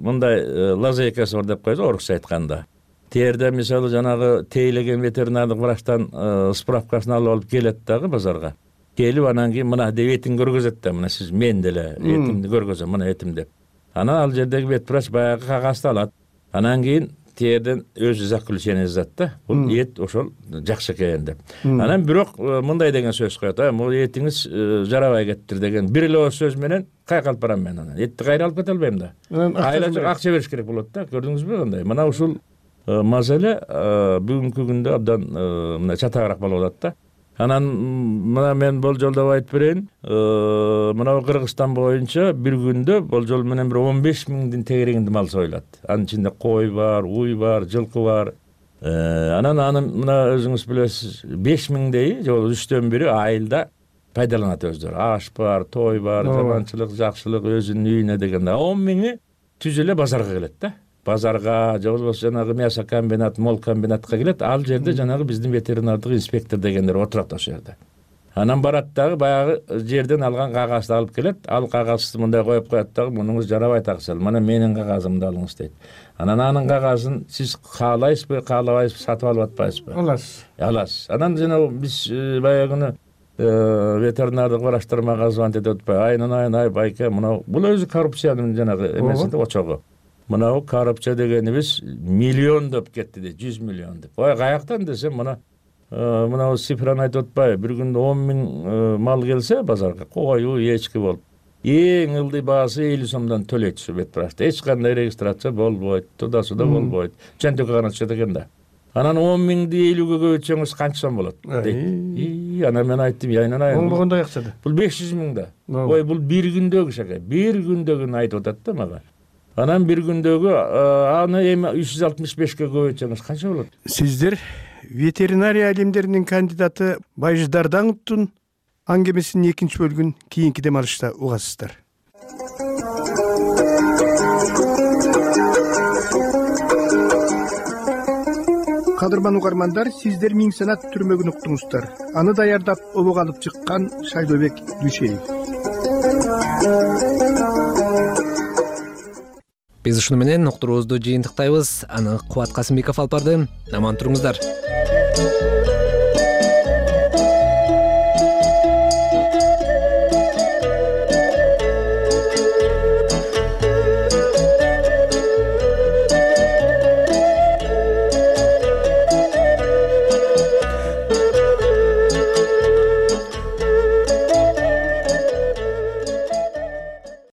мындай лазейкасы бар деп коет, орусча айтканда. Терде мисалы жанагы тейлеген ветеринардык врачтан справкасын алып алып келет дагы базарга. Келип анан кийин мына деп этин көргөзөт да, мына сиз мен деле этимди көргөзөм, мына этим деп. Анан ал жердеги вет врач баягы кагазды алат. Анан кийин терден өзү заключение жазат да. Бул эт ошол жакшы экен деп. Анан бирок мындай деген сөз коет, а бул этиңиз жарабай кеттир деген бир эле сөз менен кайка алып барам мен анан. Этти кайра алып кете албайм да. Айла акча бериш керек болот да. Көрдүңүзбү кандай? Мына ушул маселе бүгүнкү күндө абдан мына чатагыраак болуп атат да. Анан мына мен болжолдоп айтып берейин. Мына Кыргызстан боюнча бир күндө болжол менен бир он беш миңдин тегерегинде мал союлат. Анын ичинде кой бар, уй бар, жылкы бар. Анан аны мына өзүңүз билесиз, беш миңдей же үчтөн бири айылда пайдаланат өздөрү. Аш бар, той бар, жаманчылык, жакшылык өзүнүн үйүнө дегенде. он миңи түз эле базарга келет да. Базарга же болбосо жанагы мясо комбинат, мол комбинатка келет. Ал жерде жанагы биздин ветеринардык инспектор дегендер отурат ошол жерде. Анан барат дагы баягы жерден алган кагазды алып келет. Ал кагазды мындай коюп коет дагы, мунуңуз жарабайт акчал. Мына менин кагазымды алыңыз дейт. Анан анын кагазын сиз каалайсызбы, каалабайсызбы, сатып алып атпайсызбы? Аласыз. Аласыз. Анан жана биз баягы күнү ветеринардык врачтар мага звонить этип атпайбы? Айнан айын, ай байке, мына бул өзү коррупциянын жанагы эмеси да, очогу. Мына коррупция дегенибиз миллиондоп кетти дейт, жүз миллион деп. Ой, каяктан десем, мына мына цифраны айтып атпайбы? Бир күндө он миң мал келсе базарга, кой, эчки болуп, эң ылдый баасы элүү сомдон төлөйт ушу вет врачта. Эч кандай регистрация болбойт, туда-суда болбойт. Чөнтөккө гана түшөт экен да. Анан он миңди элүүгө көбөйтсөңүз канча сом болот дейт. Анан мен айттым, айнан айын. Оңбогондой акча да. Бул беш жүз миң да. Ой, бул бир күндөгү шака. Бир күндөгүн айтып атат да мага. Анан бир күндөгү аны эми үч жүз алтымыш бешке көбөйтсөңүз канча болот? Сиздер ветеринария илимдеринин кандидаты Байыш Дардановдун аңгемесинин экинчи бөлүгүн кийинки дем алышта угасыздар. кадырман угармандар, сиздер Миң санат түрмөгүн уктуңуздар. Аны даярдап обого алып чыккан Шайдобек Дүйшеев. Биз ушуну менен уктуруубузду жыйынтыктайбыз. Аны Кубат Касымбеков алып барды. Аман туруңуздар.